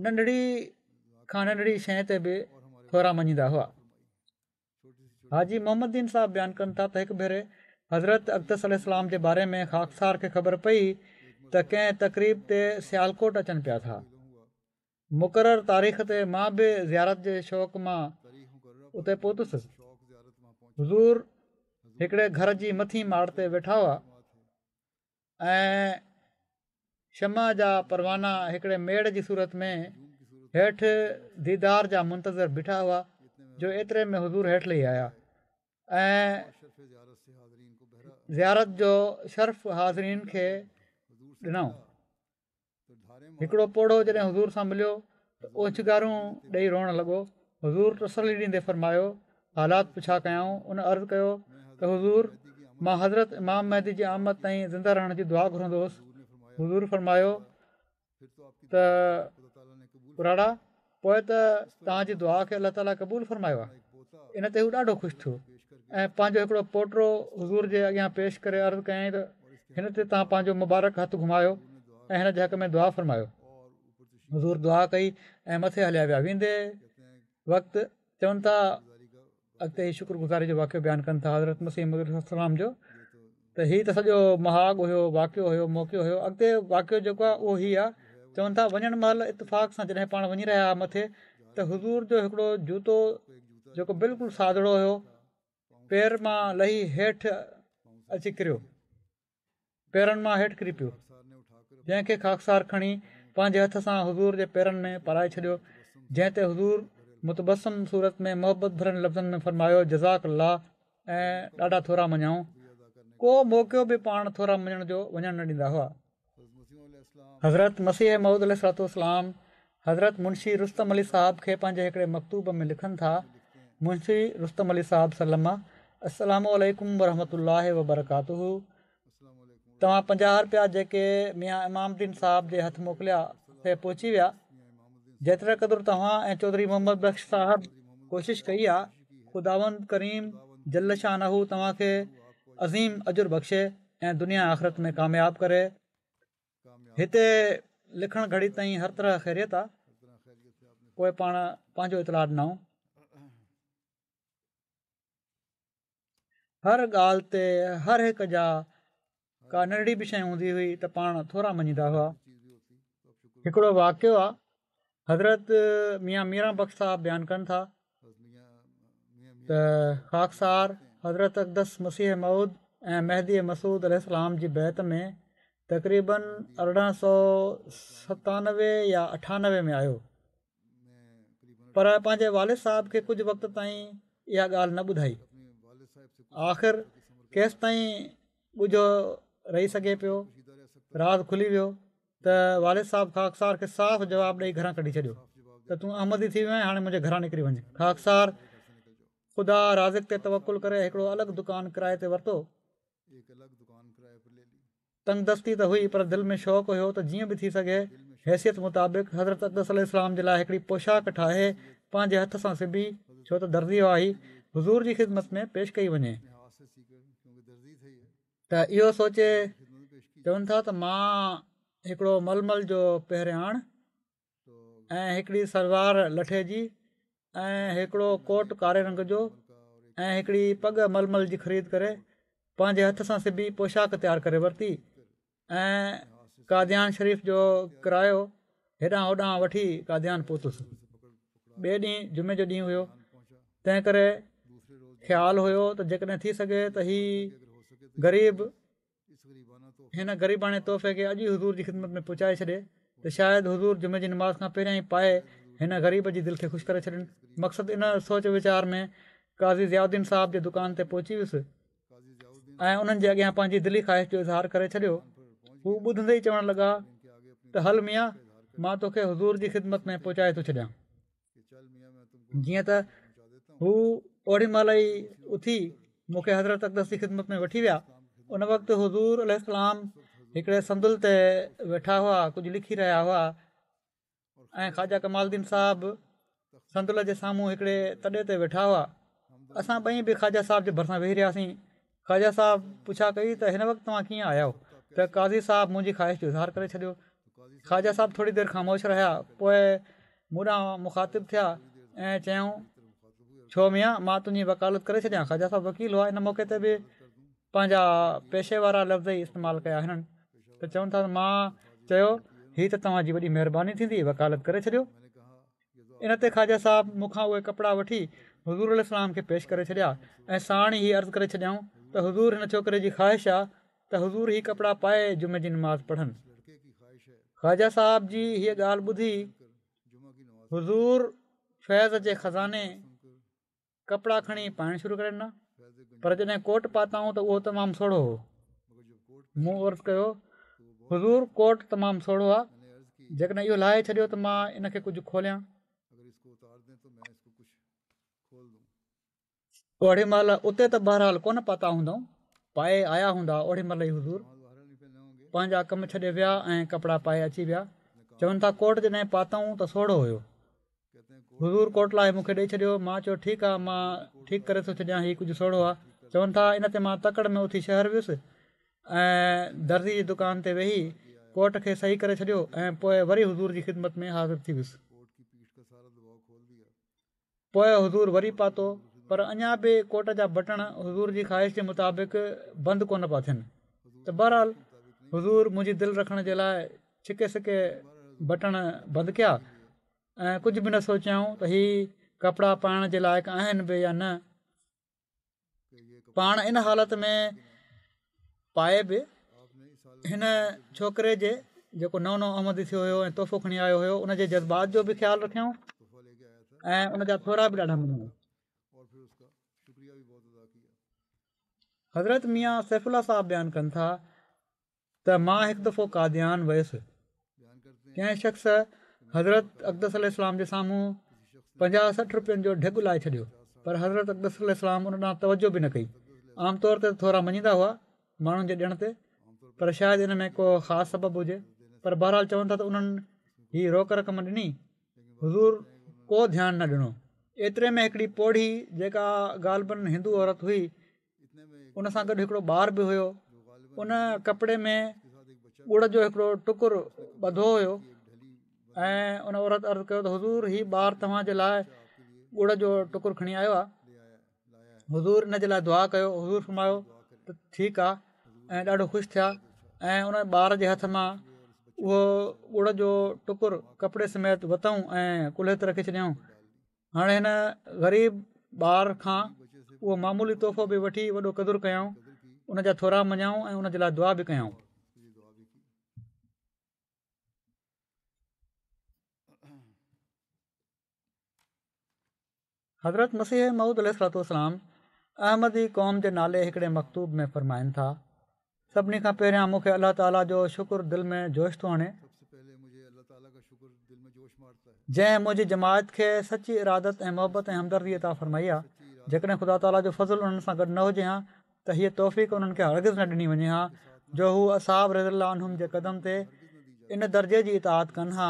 ننڍڙي کان ننڍڙي شيءِ تي به ٿورا مڃيندا هئا. حاجي محمد دين صاحب بيان ڪن ٿا ته هڪ ڀيري حضرت اقدس عليه السلام جي باري ۾ خاڪسار کي خبر پئي ته ڪنهن تقريب تي سيالڪوٽ اچن پيا ٿا. مقرر تاريخ تي مان به زيارت جي شوق مان اتي پهتس. حضور هڪڙي گهر جي مٿين ماڙ تي ويٺا هئا ۽ شمع جا پروانا هڪڙي ميڙ جي صورت ۾ هيٺ ديدار جا منتظر بيٺا هئا جو ايتري ۾ حضور هيٺ لهي آيا ۽ زيارت جو شرف حاضرين کي ڏنائون. هڪڙو پوڙهو جڏهن حضور سان مليو ته اوڇنگارون ڏيئي روئڻ لڳو. حضور تسلي ڏيندي فرمايو، حالات پڇا ڪيائون. ان عرض ڪيو ته حضور، مان حضرت امام مهدي جي آمد تائين زنده رهڻ جي دعا گهرندو هوس. حضور فرمايو ته پراڙا، پوءِ ته توهان جي دعا کي الله تعاليٰ قبول فرمايو آهي. ان تي هو ڏاڍو خوش ٿيو ۽ پنهنجو هڪڙو پوٽو حضور جي اڳيان پيش ڪري عرض ڪيائين ته هن تي توهان پنهنجو مبارڪ هٿ گهمايو ۽ هن جي حق ۾ دعا فرمايو. حضور دعا ڪئي ۽ مٿي هليا ويا. ويندي وقت چون ٿا، اڳتي هي شڪر گذاري جو واقعو بيان ڪن ٿا حضرت مسيح موعود عليه السلام جو، ته هي ته سڄو مهاڳ هيو، واقعو هيو، موقعو هيو. اڳتي واقعو جيڪو آهي اهو هي آهي. چون ٿا وڃڻ مهل اتفاق سان جڏهن پاڻ وڃي رهيا هئا مٿي ته حضور جو هڪڙو جوتو جيڪو بلڪل سادڙو هيو پير مان لهي هيٺ اچي ڪريو، پيرن مان هيٺ ڪري پيو، جنهن کي خاڪسار کڻي پنهنجي هٿ سان حضور جي پيرن ۾ پارائي ڇڏيو، جنهن تي حضور متبسم صورت ۾ محبت ڀرن لفظن ۾ فرمايو جزاڪ الله ۽ ڏاڍا ٿورا مڃيائون. ڪو موقعو به پاڻ ٿورا مڃڻ جو وڃڻ نه ڏيندا هئا. حضرت مسيح موعود عليه الصلوة والسلام حضرت منشي رستم علي صاحب کي پنهنجي هڪڙي مڪتوب ۾ لکن ٿا، منشي رستم علي صاحب سلم، السلام عليڪم ورحمة الله وبرڪاته. توهان پنجاهه رپيا جيڪي ميان امام الدين صاحب جي هٿ موڪليا سي پهچي ويا. جيتري قدر توهان ۽ چوڌري محمد بخش صاحب ڪوشش ڪئي آ، خداوند ڪريم جل شانه توهان کي عظيم اجر بخشي ۽ دنيا آخرت ۾ ڪامياب ڪري. هتي لکڻ گهڙي تائين هر طرح خيريت آ. پوءِ پاڻ پنهنجو اطلاع ڏنائون. هر ڳالهه تي هر هڪ جا ڪا ننڍڙي به شيءِ هوندي هئي ته پاڻ ٿورا مڃيندا هئا. هڪڙو واقعو آ، حضرت ميان ميران بخش صاحب بيان ڪن ٿا ته خاڪسار حضرت اقدس مسيح موعود ۽ مهدي مسعود عليه السلام جي بيعت ۾ تقريبن ارڙهن سؤ ستانوي يا اٺانوي ۾ آيو، پر پنهنجي والد صاحب کي ڪجهه وقت تائين اها ڳالهه نه ٻڌائي. آخر ڪيستائين ڳجهو رهي سگهي پيو، راز کلي ويو ته والد صاحب خاڪسار کي صاف جواب ڏيئي گهران ڪڍي ڇڏيو ته تون احمدي ٿي ويو آهين، هاڻي منهنجي گهران نڪري وڃ. خاڪسار خدا رازق تي توڪل ڪري هڪڙو الڳ دڪان ڪرائي تي ورتو. تنگ دستي ته هئي پر دل ۾ شوق هيو ته جيئن به ٿي سگهي حيثيت مطابق حضرت اقدس عليه السلام جي لاءِ هڪڙي پوشاڪ ٺاهي پنهنجي هٿ سان سبي، ڇو ته درزي هئا هي، حضور جي خدمت ۾ پيش ڪئي وڃي. ته اهو سوچي چون ٿا ته مان هڪڙو ململ جو پهرياڻ ۽ هڪڙي سلوار لٺي جي ۽ هڪڙو ڪوٽ ڪاري رنگ جو ۽ هڪڙي پڳ ململ جي خريد ڪري پنهنجي هٿ سان سبي پوشاڪ تيار ڪري ورتي ۽ قاديان شريف جو ڪرايو هيڏانهن هوڏانهن وٺي قاديان پهتس. ٻئي ڏينهن جمعي جو ڏينهن هيو، تنهن ڪري خيال هيو ته جيڪڏهن ٿي سگهي ته هي غريب هن غريباڻي تحفي کي اڄ ئي حضور جي خدمت ۾ پهچائي ڇڏي ته شايد حضور جمعي جي نماز کان پهريان ئي پائي هن غريب جي دل کي خوش ڪري ڇڏين. مقصد ان سوچ ويچار ۾ قاضي ضياء الدين صاحب جي دڪان تي پهچي ويس ۽ انهن جي اڳيان پنهنجي دلي خواهش جو اظهار ڪري ڇڏيو. هو ٻڌندي ئي چوڻ لڳا ته هل ميان، مان توکي حضور جي خدمت ۾ پهچائي ٿو ڇڏيان. جيئن ته هو اوڏي مهل ئي اٿي مون کي حضرت اقدس جي خدمت ۾ وٺي ويا. ان وقت حضور عليه السلام هڪڙي صندل تي ويٺا هئا، ڪجهه لکي رهيا هئا ۽ خواجه ڪمال الدين صاحب صندل جي سامهون هڪڙي تڏي تي ويٺا هئا. اسان ٻئي به خواجه صاحب جي ڀرسان ويهي رهياسين. خواجه صاحب پڇا ڪئي ته هن وقت توهان ڪيئن آيا آهيو؟ ته قاضي صاحب منهنجي خواهش جو اظهار ڪري ڇڏيو. خواجه صاحب ٿوري دير خاموش رهيا، پوءِ مون ڏانهن مخاطب ٿيا ۽ چيائون ڇو ميان مان تنهنجي وڪالت ڪري ڇڏيان. خواجه صاحب وڪيل هئا، ان موقعي تي به پنهنجا پيشي وارا لفظ ئي استعمال ڪيا هنن. ته چون ٿا مان چيو هي ته توهان جي وڏي مهرباني ٿيندي، وڪالت ڪري ڇڏيو. ان تي خواجه صاحب مون کان اهي ڪپڙا وٺي حضور عليه السلام کي پيش ڪري ڇڏيا ۽ ساڻ ئي عرض ڪري ڇڏيائون ته حضور هن ڇوڪري جي خواهش آهي ته حضور هي ڪپڙا پائي جمعي جي نماز پڙهن. خواجه صاحب جي هيء ڳالهه ٻڌي حضور فيض جي خزاني ڪپڙا کڻي پائڻ شروع ڪري ڏنا، پر جڏهن ڪوٽ پاتائون ته اهو تمام سوڙهو هو. مون عرض ڪيو حضور ڪوٽ تمام سوڙهو آهي، جيڪڏهن اهو لاهي ڇڏيو ته مان ان کي ڪجهه کوليان. اوڙي مهل اتي ته بهرحال ڪونه پاتا هوندائون، پائي آيا هوندا. اوڙي مهل ئي حضور پنهنجا ڪم ڇڏي ويا ۽ ڪپڙا پائي اچي ويا. چون ٿا ڪوٽ جڏهن پاتائون ته سوڙهو هيو. حضور ڪوٽ لاهي مون کي ڏئي ڇڏيو. مان چيو ٺيڪ آهي مان ٺيڪ ڪري ٿو ڇڏيان، هي ڪجهه سوڙهو آهي. چون ٿا ان تي مان تڪڙ ۾ اٿي شهر ويس ۽ درزي جي دڪان تي ويهي ڪوٽ کي صحيح ڪري ڇڏيو ۽ پوءِ وري حضور جي خدمت ۾ حاضر ٿي ويس. پوءِ حضور وري پاتو، پر اڃا به ڪوٽ جا بٽڻ حضور جي خواهش جي مطابق بند ڪونه پيا ٿين. ته بهرحال حضور منهنجي دل رکڻ جي لاءِ ڇڪي سڪي بٽڻ بند ڪيا ۽ ڪجهه به نه سوچيائون ته هي ڪپڙا پائڻ جي لائق آهن به يا نه. پاڻ ان حالت ۾ پائي به هن ڇوڪري جي جيڪو نئون نئون احمدي ٿيو هيو ۽ تحفو کڻي آيو هيو ان جي جذبات جو به خيال رکيائون ۽ ان جا ٿورا به ڏاڍا مڃيائون. حضرت ميان سيف الله صاحب بيان ڪن ٿا ته مان هڪ دفعو قاديان ويس. ڪنهن شخص حضرت اقدس عليه السلام جي سامهون پنجاهه سٺ رپين جو ڍڳ لائي ڇڏيو، پر حضرت اقدس عليه السلام ان ڏانهن توجه به نه ڪئي. عام طور تي ٿورا مڃيندا هئا ماڻهن جي ڏيڻ تي، پر شايد ان ۾ ڪو خاص سبب هجي. پر بهرحال چون ٿا ته انهن هي روڪ رقم ڏني، حضور ڪو ڌيان نه ڏنو. ايتري ۾ هڪڙي پوڙهي جيڪا غالباً هندو عورت هئي، ان سان گڏ هڪڙو ٻار به هيو. ان ڪپڙي ۾ ڳڙ جو هڪڙو ٽڪر ٻڌو هيو ۽ ان عورت عرض ڪيو ته حضور هي ٻار توهان جي لاءِ ڳڙ جو ٽڪر کڻي آيو آهي. حضور ان جي لاءِ دعا ڪيو. حضور فرمايو ته ٺيڪ آهي ۽ ڏاڍو خوش ٿيا ۽ ان ٻار جي هٿ مان اهو ڳڙ جو ٽڪر ڪپڙي سميت ورتائون ۽ ڪلهي تي رکي ڇڏيائون. هاڻي هن غريب ٻار کان اهو معمولي تحفو به وٺي وڏو قدر ڪيائون، ان جا ٿورا مڃيائون ۽ ان جي لاءِ دعا به ڪيائون. حضرت مسيح موعود عليه الصلوة والسلام احمدي قوم جي نالي هڪڙي مڪتوب ۾ فرمائن ٿا، سڀني کان پهريان مون کي الله تعاليٰ جو شڪر دل ۾ جوش ٿو آڻي، جنهن منهنجي جماعت کي سچي ارادت ۽ محبت ۽ همدردي عطا فرمائي آهي. جيڪڏهن خدا تعاليٰ جو فضل انهن سان گڏ نه هجي ها ته هيءَ توفيق انهن کي هرگز نه ڏني وڃي ها جو هو اصحاب رضي الله عنهم جي قدم تي ان درجي جي اطاعت ڪن ها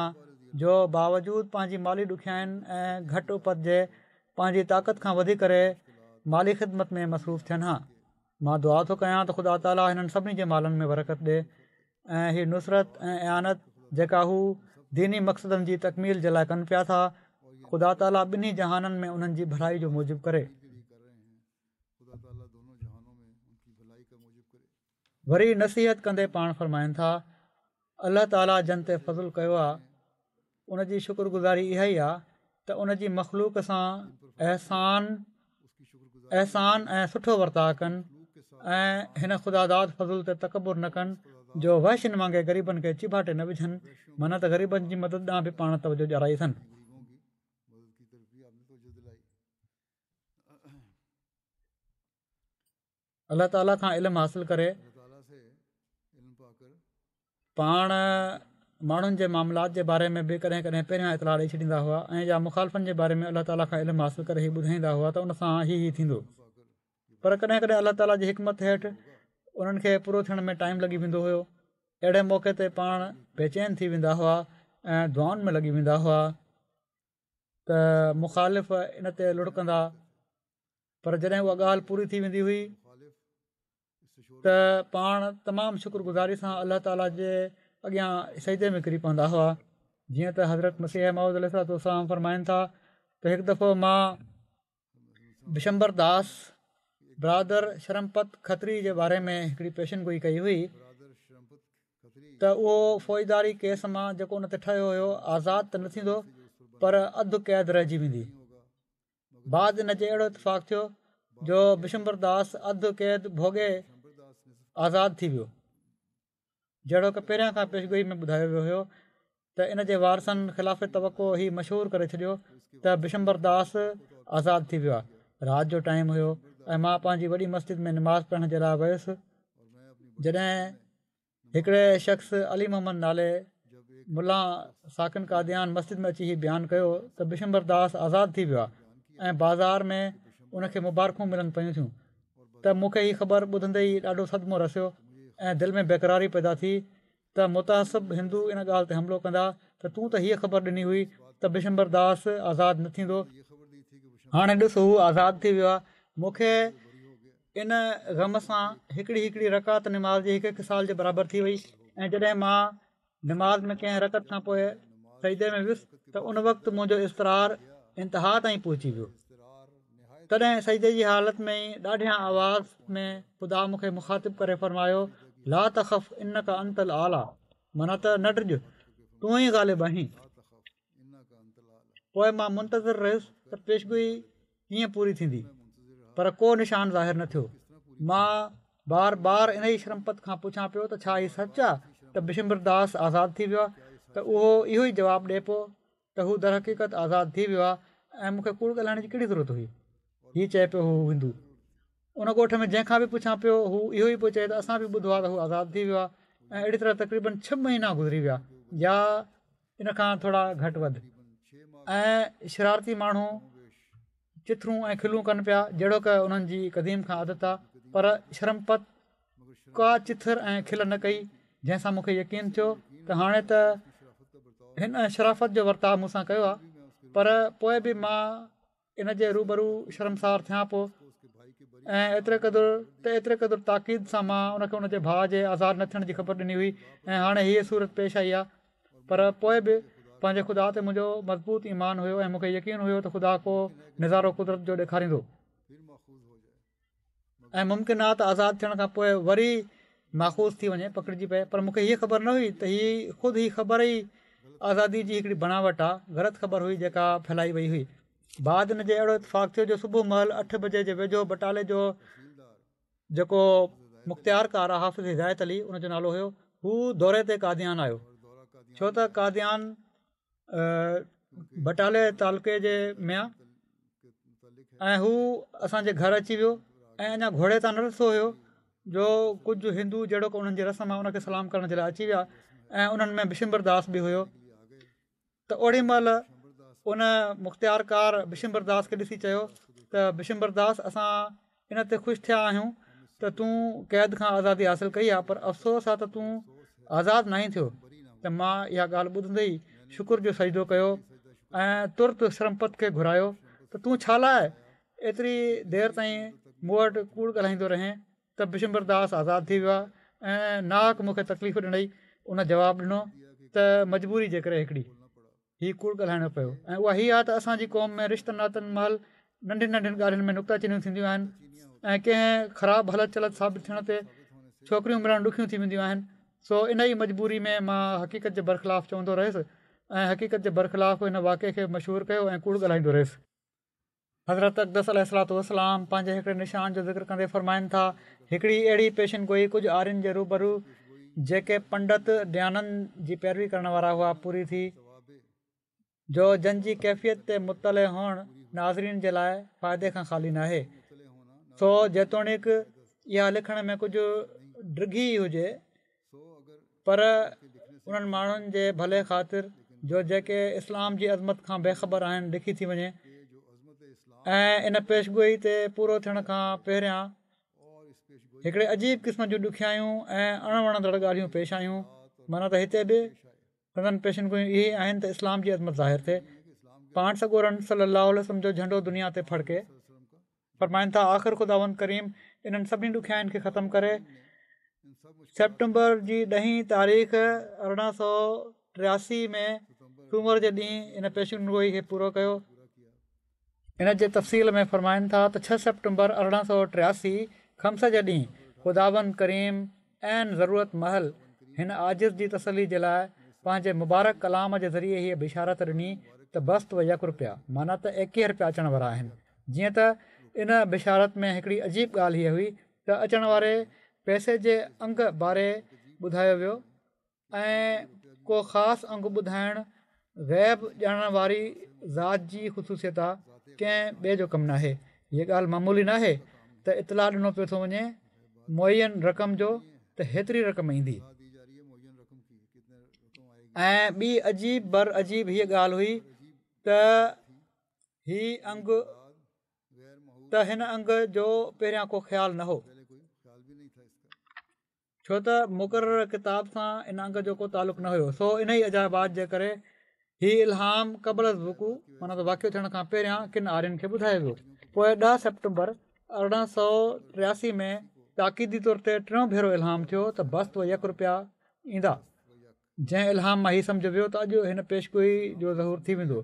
جو باوجود پنهنجي مالي ڏکيائين ۽ گهٽ اپت جي پنهنجي طاقت کان وڌي ڪري مالي خدمت ۾ مصروف ٿين ها. مان دعا ٿو ڪيان ته خدا تعاليٰ هنن سڀني جي مالن ۾ برڪت ڏي ۽ هي نصرت ۽ اعانت جيڪا هو ديني مقصدن جي تڪميل جي لاءِ ڪن پيا ٿا، خدا تعاليٰ ٻنهي جهانن ۾ انهن جي ڀلائي جو موجب ڪري. وري نصيحت ڪندي پاڻ فرمائن ٿا، الله تعاليٰ جن تي فضل ڪيو آهي ان جي شڪر گذاري اها ئي آهي ته ان جي مخلوق سان احسان احسان ۽ سٺو ورتاءُ ڪن ۽ هن خداداد فضل تي تڪبر نه ڪن جو وحشين وانگي غريبن کي چيڀاٽي نه وجهن، معنيٰ ته غريبن جي مدد ڏانهن به پاڻ توجهه ڏيارائي اٿن. الله تعاليٰ کان علم حاصل ڪري پاڻ ماڻهن جي معاملات جي باري ۾ به ڪڏهن ڪڏهن پهريان اطلاع ڏئي ڇڏيندا هئا ۽ يا مخالفن جي باري ۾ الله تعاليٰ کان علم حاصل ڪري هي ٻڌائيندا هئا ته ان سان هي هي ٿيندو، پر ڪڏهن ڪڏهن الله تعاليٰ جي حڪمت هيٺ انهن کي پورو ٿيڻ ۾ ٽائيم لڳي ويندو هيو. اهڙي موقعي تي پاڻ بيچين ٿي ويندا هئا ۽ دعائن ۾ لڳي ويندا هئا ته مخالف ان تي لڙڪندا، پر جڏهن اها ڳالهه پوري ٿي ويندي هئي ته پاڻ تمام شڪر گذاري سان الله تعاليٰ جي اڳيان سجدي ۾ ڪري پوندا هئا. جيئن ته حضرت مسيح موعود عليه الصلوة والسلام فرمائن ٿا ته هڪ دفعو مان بشمبر داس برادر شرمپت کتري جي باري ۾ هڪڙي پيشن گوئي ڪئي هئي ته اهو فوجداري ڪيس مان جيڪو ان تي ٺهيو هيو آزاد ته نه ٿيندو پر اڌ قيد رهجي ويندي. بعد ان جي اهڙو اتفاق ٿيو جو بشمبر داس اڌ قيد ڀوڳي آزاد ٿي ويو. جهڙوڪ پهريان کان پيشگوئي ۾ ٻڌايو ويو هيو ته ان جي وارثن خلاف توقع هي مشهور ڪري ڇڏيو ته بشمبر داس آزاد ٿي ويو آهي. رات جو ٽائيم هيو ۽ مان پنهنجي وڏي مسجد ۾ نماز پڙهڻ جي لاءِ ويس. جڏهن هڪڙي شخص علي محمد نالي ملا ساڪن قاديان مسجد ۾ اچي هي بيان ڪيو ته بشمبر داس آزاد ٿي ويو آهي ۽ بازار ۾ ان کي مبارڪون ملن پيون ٿيون ته مون کي هي خبر ٻڌندي ئي ڏاڍو صدمو رسيو ۽ دل ۾ بيقراري پيدا ٿي ته متعصب هندو ان ڳالهه تي حملو ڪندا ته تون ته هيء خبر ڏني هئي ته بشمبر داس آزاد نه ٿيندو، هاڻي ڏس هو آزاد ٿي ويو آهي. مون کي ان غم سان هڪڙي هڪڙي رڪعت نماز جي هڪ هڪ سال جي برابر ٿي وئي ۽ جڏهن مان نماز ۾ ڪنهن رڪعت کان پوءِ سجدي ۾ ويس ته ان وقت منهنجو اضطرار انتها تائين پهچي ويو. تڏهن سجدي جي حالت ۾ ئي ڏاڍيان آواز ۾ خدا مون کي مخاطب ڪري فرمايو، لا تخف انک انت الاعليٰ، معنيٰ ته نه ڊڄ، تون ئي غالب آهين. پوءِ مان منتظر رهيس ته پيشگوئي ڪيئن پوري ٿيندي، پر ڪو نشان ظاهر نه ٿيو. مان بار بار انهيء شرمپت کان پڇان پيو ته ڇا هي سچ آهي ته بشمبر داس آزاد ٿي ويو آهي؟ ته اهو اهو ئي جواب ڏئي پيو ته هو درحقيقت آزاد ٿي ويو آهي ۽ مون کي ڪوڙ ڳالهائڻ جي ڪهڙي ضرورت هئي. هي چئي پيو هو هندو. ان ڳوٺ ۾ جنهن کان به پڇان پيو هو اهو ئي پيو چئي ته اسان به ٻڌو آهي ته هو آزاد ٿي ويو آهي ۽ اهڙي طرح تقريبن ڇهه مهينا گذري ويا يا ان کان ٿورا گهٽ وڌ ۽ شرارتي ماڻهو چٿرون ۽ کلون ڪن پيا جهڙوڪ انهن جي قديم کان عادت آهي، پر شرمپت ڪا چٿر ۽ کل نه ڪئي، جنهن سان مون کي يقين ٿيو ته هاڻي ته هن شرافت جو ورتاءُ مون سان ڪيو آهي، پر پوءِ به مان ان جي روبرو شرمسار ٿيان پيو ۽ ايتري قدر ته ايتري قدر تاڪيد سان مان ان کي ان جي ڀاءُ جي آزاد نه ٿيڻ جي خبر ڏني هئي ۽ هاڻي هيءَ صورت پيش آئي آهي، پر پوءِ به پنهنجي خدا تي منهنجو مضبوط ايمان هيو ۽ مون کي يقين هيو ته خدا ڪو نظارو قدرت جو ڏيکاريندو ۽ ممڪن آهي ته آزاد ٿيڻ کان پوءِ وري ماخوذ ٿي وڃي، پڪڙجي پئي، پر مون کي هيءَ خبر نه هئي ته هي خود هي خبر ئي آزادي جي هڪڙي بناوٽ آهي، غلط خبر هئي جيڪا ڦهلائي وئي هئي. بعد ان جي اهڙو اتفاق ٿيو جو صبح مهل اٺ بجي جي ويجهو بٽالي جو جيڪو مختيار ڪار آهي حافظ هدايت علي ان جو نالو هيو، هو دوري تي قاديان آيو، ڇو ته قاديان بٽالي تعلقي جي ۾ آهي ۽ هو اسان جي گهر اچي ويو ۽ اڃا گهوڙي تان نه لٿو هيو جو ڪجهه هندو جهڙوڪ انهن جي رسم آهي ان کي سلام ڪرڻ جي لاءِ اچي ويا ۽ انهن ۾ بشمبر داس به هيو. ته اوڏي مهل ان مختيارڪار بشمبر داس کي ڏسي چيو ته بشمبر داس اسان ان تي خوش ٿيا آهيون ته تون قيد کان آزادي حاصل ڪئي آهي، پر افسوس آهي ته تون آزاد ناهين ٿيو. ته مان اها ڳالهه ٻڌندي ئي شڪر جو سجدو ڪيو ۽ ترت شرمپت کي گهرايو ته تون ڇا لاءِ ايتري دير تائين مون وٽ ڪوڙ ڳالهائيندو رهين ته بشمبر داس آزاد ٿي ويو آهي ۽ ناحق مون کي تڪليف ڏنئي. ان جواب ڏنو ته مجبوري جي ڪري هڪڙي هي ڪوڙ ڳالهائڻو پيو ۽ اها هيءَ آهي ته اسان جي قوم ۾ رشتن ناتن مهل ننڍين ننڍين ڳالهين ۾ نڪته چينيون ٿينديون آهن ۽ ڪنهن خراب هلت چلت ثابت ٿيڻ تي ڇوڪريون ملڻ ڏکيون ٿي وينديون آهن. سو ان ئي مجبوري ۾ مان حقيقت جي برخلاف چوندو رهيس ۽ حقيقت جي برخلاف هن واقعي کي مشهور ڪيو ۽ ڪوڙ ڳالهائيندو رهيس. حضرت اقدس عليه الصلوة والسلام پنهنجي هڪڙي نشان جو ذڪر ڪندي فرمائن ٿا، هڪڙي اهڙي پيشن گوئي ڪجهه آرين جي روبرو جيڪي پنڊت ديانند جي پيروي ڪرڻ وارا هئا پوري ٿي، جو جن جي ڪيفيت تي مطلع هئڻ ناظرين جي لاءِ فائدي کان خالي ناهي. سو جيتوڻيڪ اها لکڻ ۾ ڪجهه ڊگهي هجي، پر انهن ماڻهن جي ڀلي خاطر جو جيڪي اسلام جي عظمت کان بيخبر آهن لکي ٿي وڃي ۽ ان پيشگوئي تي پورو ٿيڻ کان پهريان هڪڙي عجيب قسم جون ڏکيائيون ۽ اڻ وڻندڙ ڳالهيون پيش آيون. معنيٰ ته هتي به سندن پيشن گوئيون اهي آهن ته اسلام جي عظمت ظاهر ٿئي، پاڻ سڳورن صلي الله عليه وسلم جو جهنڊو دنيا تي ڦڙڪي. فرمائن ٿا، آخر خداوند ڪريم انهن سڀني ڏکيائين کي ختم ڪري سيپٽمبر جي ڏهين تاريخ ارڙهن سؤ ٽياسي ۾ سومر جي ڏينهن ان پيشن گوئي کي پورو ڪيو. ان جي تفصيل ۾ فرمائن ٿا ته ڇهه سيپٽمبر ارڙهن سؤ ٽياسي خمس جي ڏينهن خداوند ڪريم عين ضرورت مهل هن عاجز جي تسلي جي لاء پنهنجي مبارڪ ڪلام جي ذريعي هيء بشارت ڏني ته بست و يڪ رپيا معنيٰ ته ايڪيهه رپيا اچڻ وارا آهن. جيئن ته ان بشارت ۾ هڪڙي عجيب ڳالهه هيء هئي ته اچڻ واري پئسي جي انگ باري ٻڌايو ويو ۽ ڪو خاص انگ ٻڌائڻ غيب ڄاڻڻ واري ذات جي خصوصيت آ، ڪنهن ٻئي جو ڪم ناهي. هيء ڳالهه معمولي ناهي ته اطلاع ڏنو پيو ٿو وڃي معين رقم جو ته هيتري رقم ايندي. ۽ ٻي عجيب بر عجيب هيء ڳالهه هئي ته هي انگ ته هن انگ جو پهريان ڪو خيال نه هو. ڇو ته مقرر ڪتاب سان ان انگ جو ڪو تعلق نه هيو، سو انهي عجائبات جي ڪري هي الهام قبل از وقوع معنيٰ ته واقعو ٿيڻ کان پهريان ڪن آرين کي ٻڌايو ويو. پوء ڏهه سيپٽمبر ارڙهن سؤ ٽياسي ۾ تاڪيدي طور تي ٽيون ڀيرو الهام ٿيو ته بست و يڪ رپيا ايندا، جنهن الهام مان هي سمجهيو ويو ته اڄ هن پيشگوئي جو ظهور ٿي ويندو،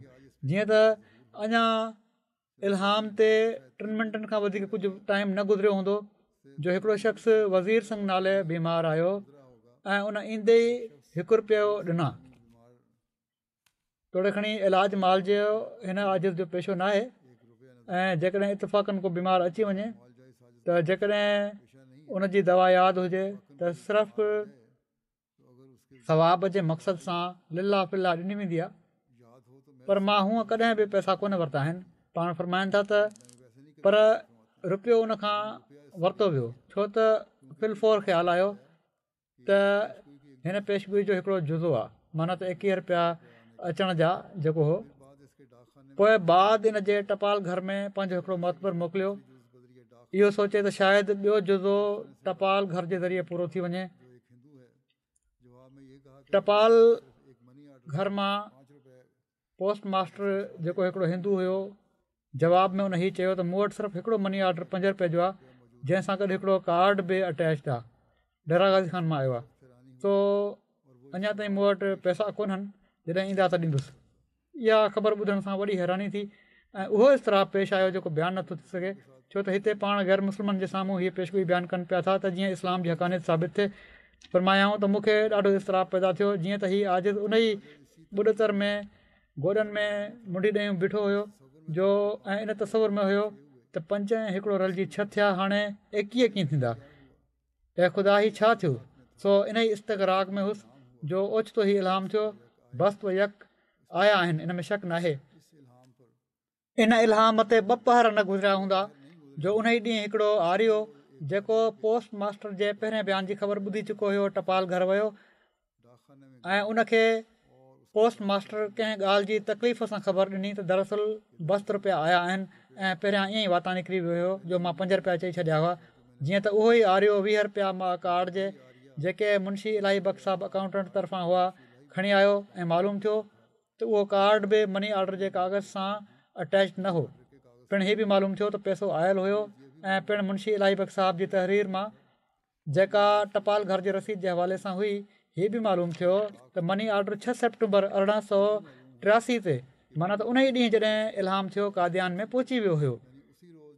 جيئن ته اڃا الهام تي ٽن منٽن کان وڌيڪ ڪجهه ٽائيم نه گذريو هوندو جو هڪڙو شخص وزير سنگهه نالي بيمار آيو ۽ ان ايندي ئي هڪ رپيو ڏنا. توڙي کڻي علاج معالجي هن عاجز جو پيشو ناهي ۽ جيڪڏهن اتفاقن ڪو بيمار اچي وڃي ته جيڪڏهن ان جي دوا ياد هجي ته صرف ثواب جي مقصد سان لله في الله ڏني ويندي آهي پر مان هونء ڪڏهن به پئسا ڪونه ورتا آهن. پاڻ فرمائن ٿا ته پر رپيو ان کان ورتو ويو ڇو ته في الفور خيال آيو ته هن پيشگوئي جو هڪڙو جزو آهي معنيٰ ته ايڪيهه رپيا اچڻ جا جيڪو هو. پوء بعد ان جي ٽپال گهر ۾ پنهنجو هڪڙو معتبر موڪليو اهو سوچي ته شايد ٻيو جزو ٽپال گهر جي ذريعي پورو ٿي وڃي. ٽپال گهر مان پوسٽ ماسٽر جيڪو هڪڙو هندو هيو جواب ۾ ان هي چيو ته مون وٽ صرف هڪڙو مني آرڊر پنج رپئي جو آهي جنهن سان گڏ هڪڙو ڪارڊ به اٽيچڊ آهي ڊيرا غازي خان مان آيو آهي سو اڃا تائين مون وٽ پئسا ڪونهن جڏهن ايندا ته ڏيندس. اها خبر ٻڌڻ سان وڏي حيراني ٿي ۽ اهو اضطراب پيش آيو جيڪو بيان نٿو ٿي سگهي ڇو ته هتي پاڻ غير مسلمن جي سامهون هيء پيشگوئي بيان ڪن پيا ٿا ته جيئن اسلام جي حقانيت ثابت ٿئي. فرمايائون ته مون کي ڏاڍو اضطراب پيدا ٿيو جيئن ته هي عاجز انهي ٻڏتر ۾ گوڏن ۾ منڍي ڏيون بيٺو هيو جو ۽ ان تصور ۾ هيو ته پنج ۽ هڪڙو رلجي ڇهه ٿيا هاڻي ايڪيهه ڪيئن ٿيندا؟ اي خدا هي ڇا ٿيو؟ سو انهي استغراق ۾ هوس جو اوچتو هي الهام ٿيو، بست و يڪ آيا آهن ان ۾ شڪ ناهي. ان الهام تي ٻه پهر نه گذريا هوندا جو انهي ڏينهن هڪڙو آريو جيڪو پوسٽ ماسٽر جي پهرين بيان جي خبر ٻڌي چڪو هيو ٽپال گهر ويو ۽ ان کي پوسٽ ماسٽر ڪنهن ڳالهه جي تڪليف سان خبر ڏني ته دراصل بست رپيا آيا آهن ۽ پهريان ائين ئي واتان نڪري ويو هيو جو مان پنج رپيا چئي ڇڏيا هئا جيئن ته اهو ئي آريو ويهه رپيا مع ڪارڊ جي جيڪي منشي الاهي بخش صاحب اڪائونٽنٽ طرفان هئا کڻي آيو ۽ معلوم ٿيو ته اهو ڪارڊ به مني آرڊر جي ڪاغذ سان اٽيچ نه هو پڻ هي به معلوم ٿيو ته پئسو آيل هيو ۽ پڻ منشي الاهي بخش صاحب جي تحرير مان جيڪا ٽپال گهر جي رسيد جي حوالي سان هئي، هي به معلوم ٿيو ته مني آرڊر ڇهه سيپٽمبر ارڙهن سؤ ٽياسي تي معنيٰ ته انهي ڏينهن جڏهن الهام ٿيو قاديان ۾ پهچي ويو هيو.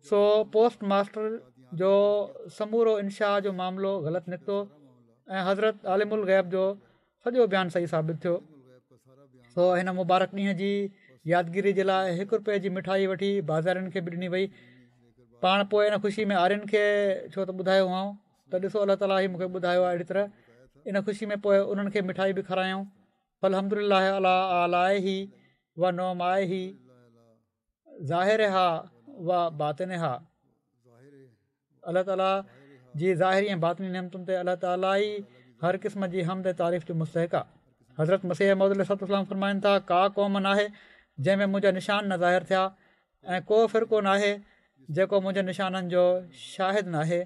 سو پوسٽ ماسٽر جو سمورو انشاء جو معاملو غلط نڪتو ۽ حضرت عالم الغيب جو سڄو بيان صحيح ثابت ٿيو. سو هن مبارڪ ڏينهن جي يادگيري جي لاء هڪ رپئي جي مٺائي وٺي بازارين کي به ڏني وئي. پاڻ پوء ان خوشي ۾ آرين کي ڇو ته ٻڌايو هئائون ته ڏسو الله تعاليٰ هي مون کي ٻڌايو آهي اهڙي طرح ان خوشي ۾ پوء انهن کي مٺائي به کارايائون. فالحمد لله علي آلائه و نعمائه ظاهرها و باطنها. الله تعاليٰ جي ظاهري ۽ باطني نعمتن تي الله تعاليٰ ئي هر قسم جي حمد ۽ تعريف جو مستحق آهي. حضرت مسيح موعود عليه الصلوة والسلام فرمائن ٿا، ڪا قوم ناهي جنهن ۾ منهنجا نشان نه ظاهر ٿيا ۽ ڪو فرقو ناهي جيڪو منهنجي نشانن جو شاهد ناهي.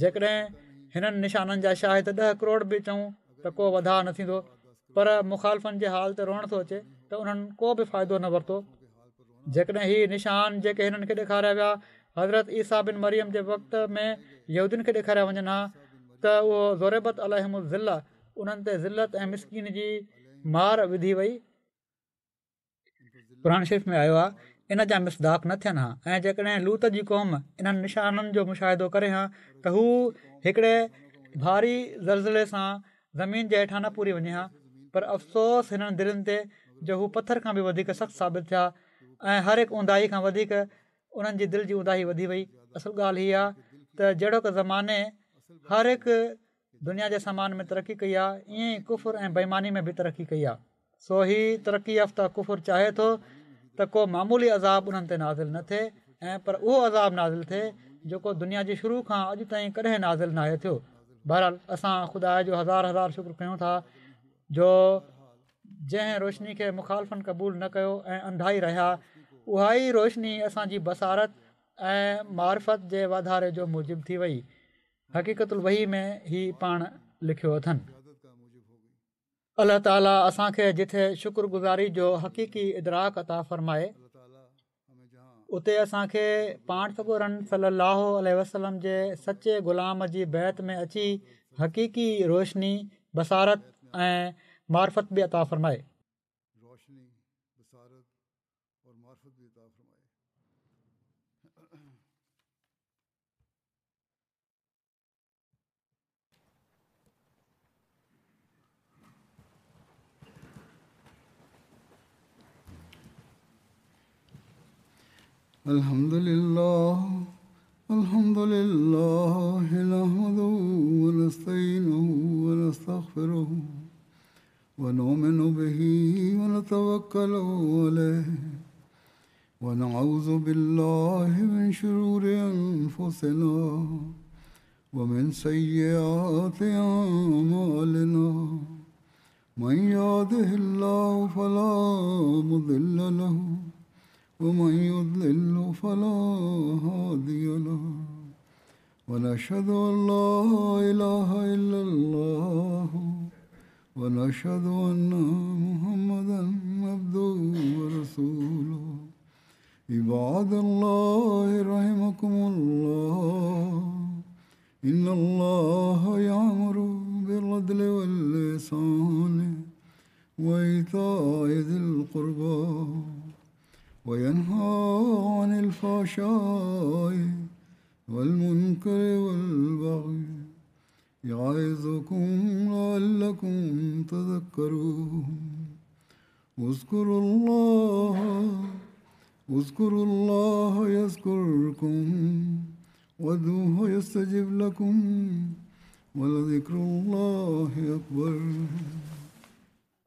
جيڪڏهن هنن نشانن جا شاهد ڏهه ڪروڙ به چئون ته ڪو وڌاء نه ٿيندو پر مخالفن جي حال تي روئڻ ٿو اچي ته انهن ڪو به فائدو نه ورتو. جيڪڏهن هي نشان جيڪي هنن کي ڏيکاريا ويا حضرت عيسيٰ بن مريم جي وقت ۾ يهودين کي ڏيکاريا وڃن ها ته اهو ضربت عليهم الذلة انهن تي ذلت ۽ مسڪيني جي مار وڌي وئي. قرآن شريف ۾ آيو آهي ان جا مصداق نه ٿين ها ۽ جيڪڏهن لوط جي قوم انهن نشانن جو مشاهدو ڪري ها ته هو هڪڙي ڀاري زلزلي سان زمين جي هيٺان نه پوري وڃي ها. پر افسوس هنن دلين تي جو هو پٿر کان به وڌيڪ سخت ثابت ٿيا ۽ هر هڪ اونداهي کان وڌيڪ انهن جي دل جي اونداهي وڌي وئي. اصل ڳالهه هيءَ آهي ته جهڙوڪ زماني هر هڪ دنيا جي سامان ۾ ترقي ڪئي آهي، ائين ئي ڪفر ۽ بيماني ۾ به ترقي ڪئي آهي. سو هي ترقي يافته ڪفر چاهي ٿو ته ڪو معمولي عذاب انهن تي نازل نه ٿئي ۽ پر اهو عذاب نازل ٿئي جيڪو دنيا جي شروع کان اڄ تائين ڪڏهن نازل ناهي ٿيو. بهرحال اسان خدا جو هزار هزار شڪر ڪيون ٿا جو جنهن روشني کي مخالفن قبول نه ڪيو ۽ انڌائي رهيا، اها ئي روشني اسان جي بصارت ۽ معرفت جي واڌاري جو موجب ٿي وئي. حقيقت الوحي ۾ هي پاڻ لکيو اٿن. الله تعاليٰ اسان کي جٿي شڪر گذاري جو حقيقي ادراڪ عطا فرمائي، اتي اسان کي پاڻ سڳورن صلي الله عليه وسلم جي سچي غلام جي بيعت ۾ اچي حقيقي روشني، بصارت ۽ معرفت به عطا فرمائي. روشني، بصارت اور معرفت به عطا فرمائي. الحمد لله الحمد لله نحمده ونستعينه ونستغفره ونؤمن به ونتوكل عليه ونعوذ بالله من شرور أنفسنا ومن سيئات أعمالنا من يهده الله فلا مضل له ومن يضلل فلا هادي له ونشهد أن لا إله إلا الله ونشهد أن محمدا عبده ورسوله. عباد الله رحمكم الله، إن الله يأمر بالعدل والإحسان وإيتاء ذي القربى وينهى عن الفحشاء والمنكر والبغي يعظكم لعلكم تذكرون. اذكروا الله اذكروا الله يذكركم وادعوه يستجب لكم ولذكر الله أكبر.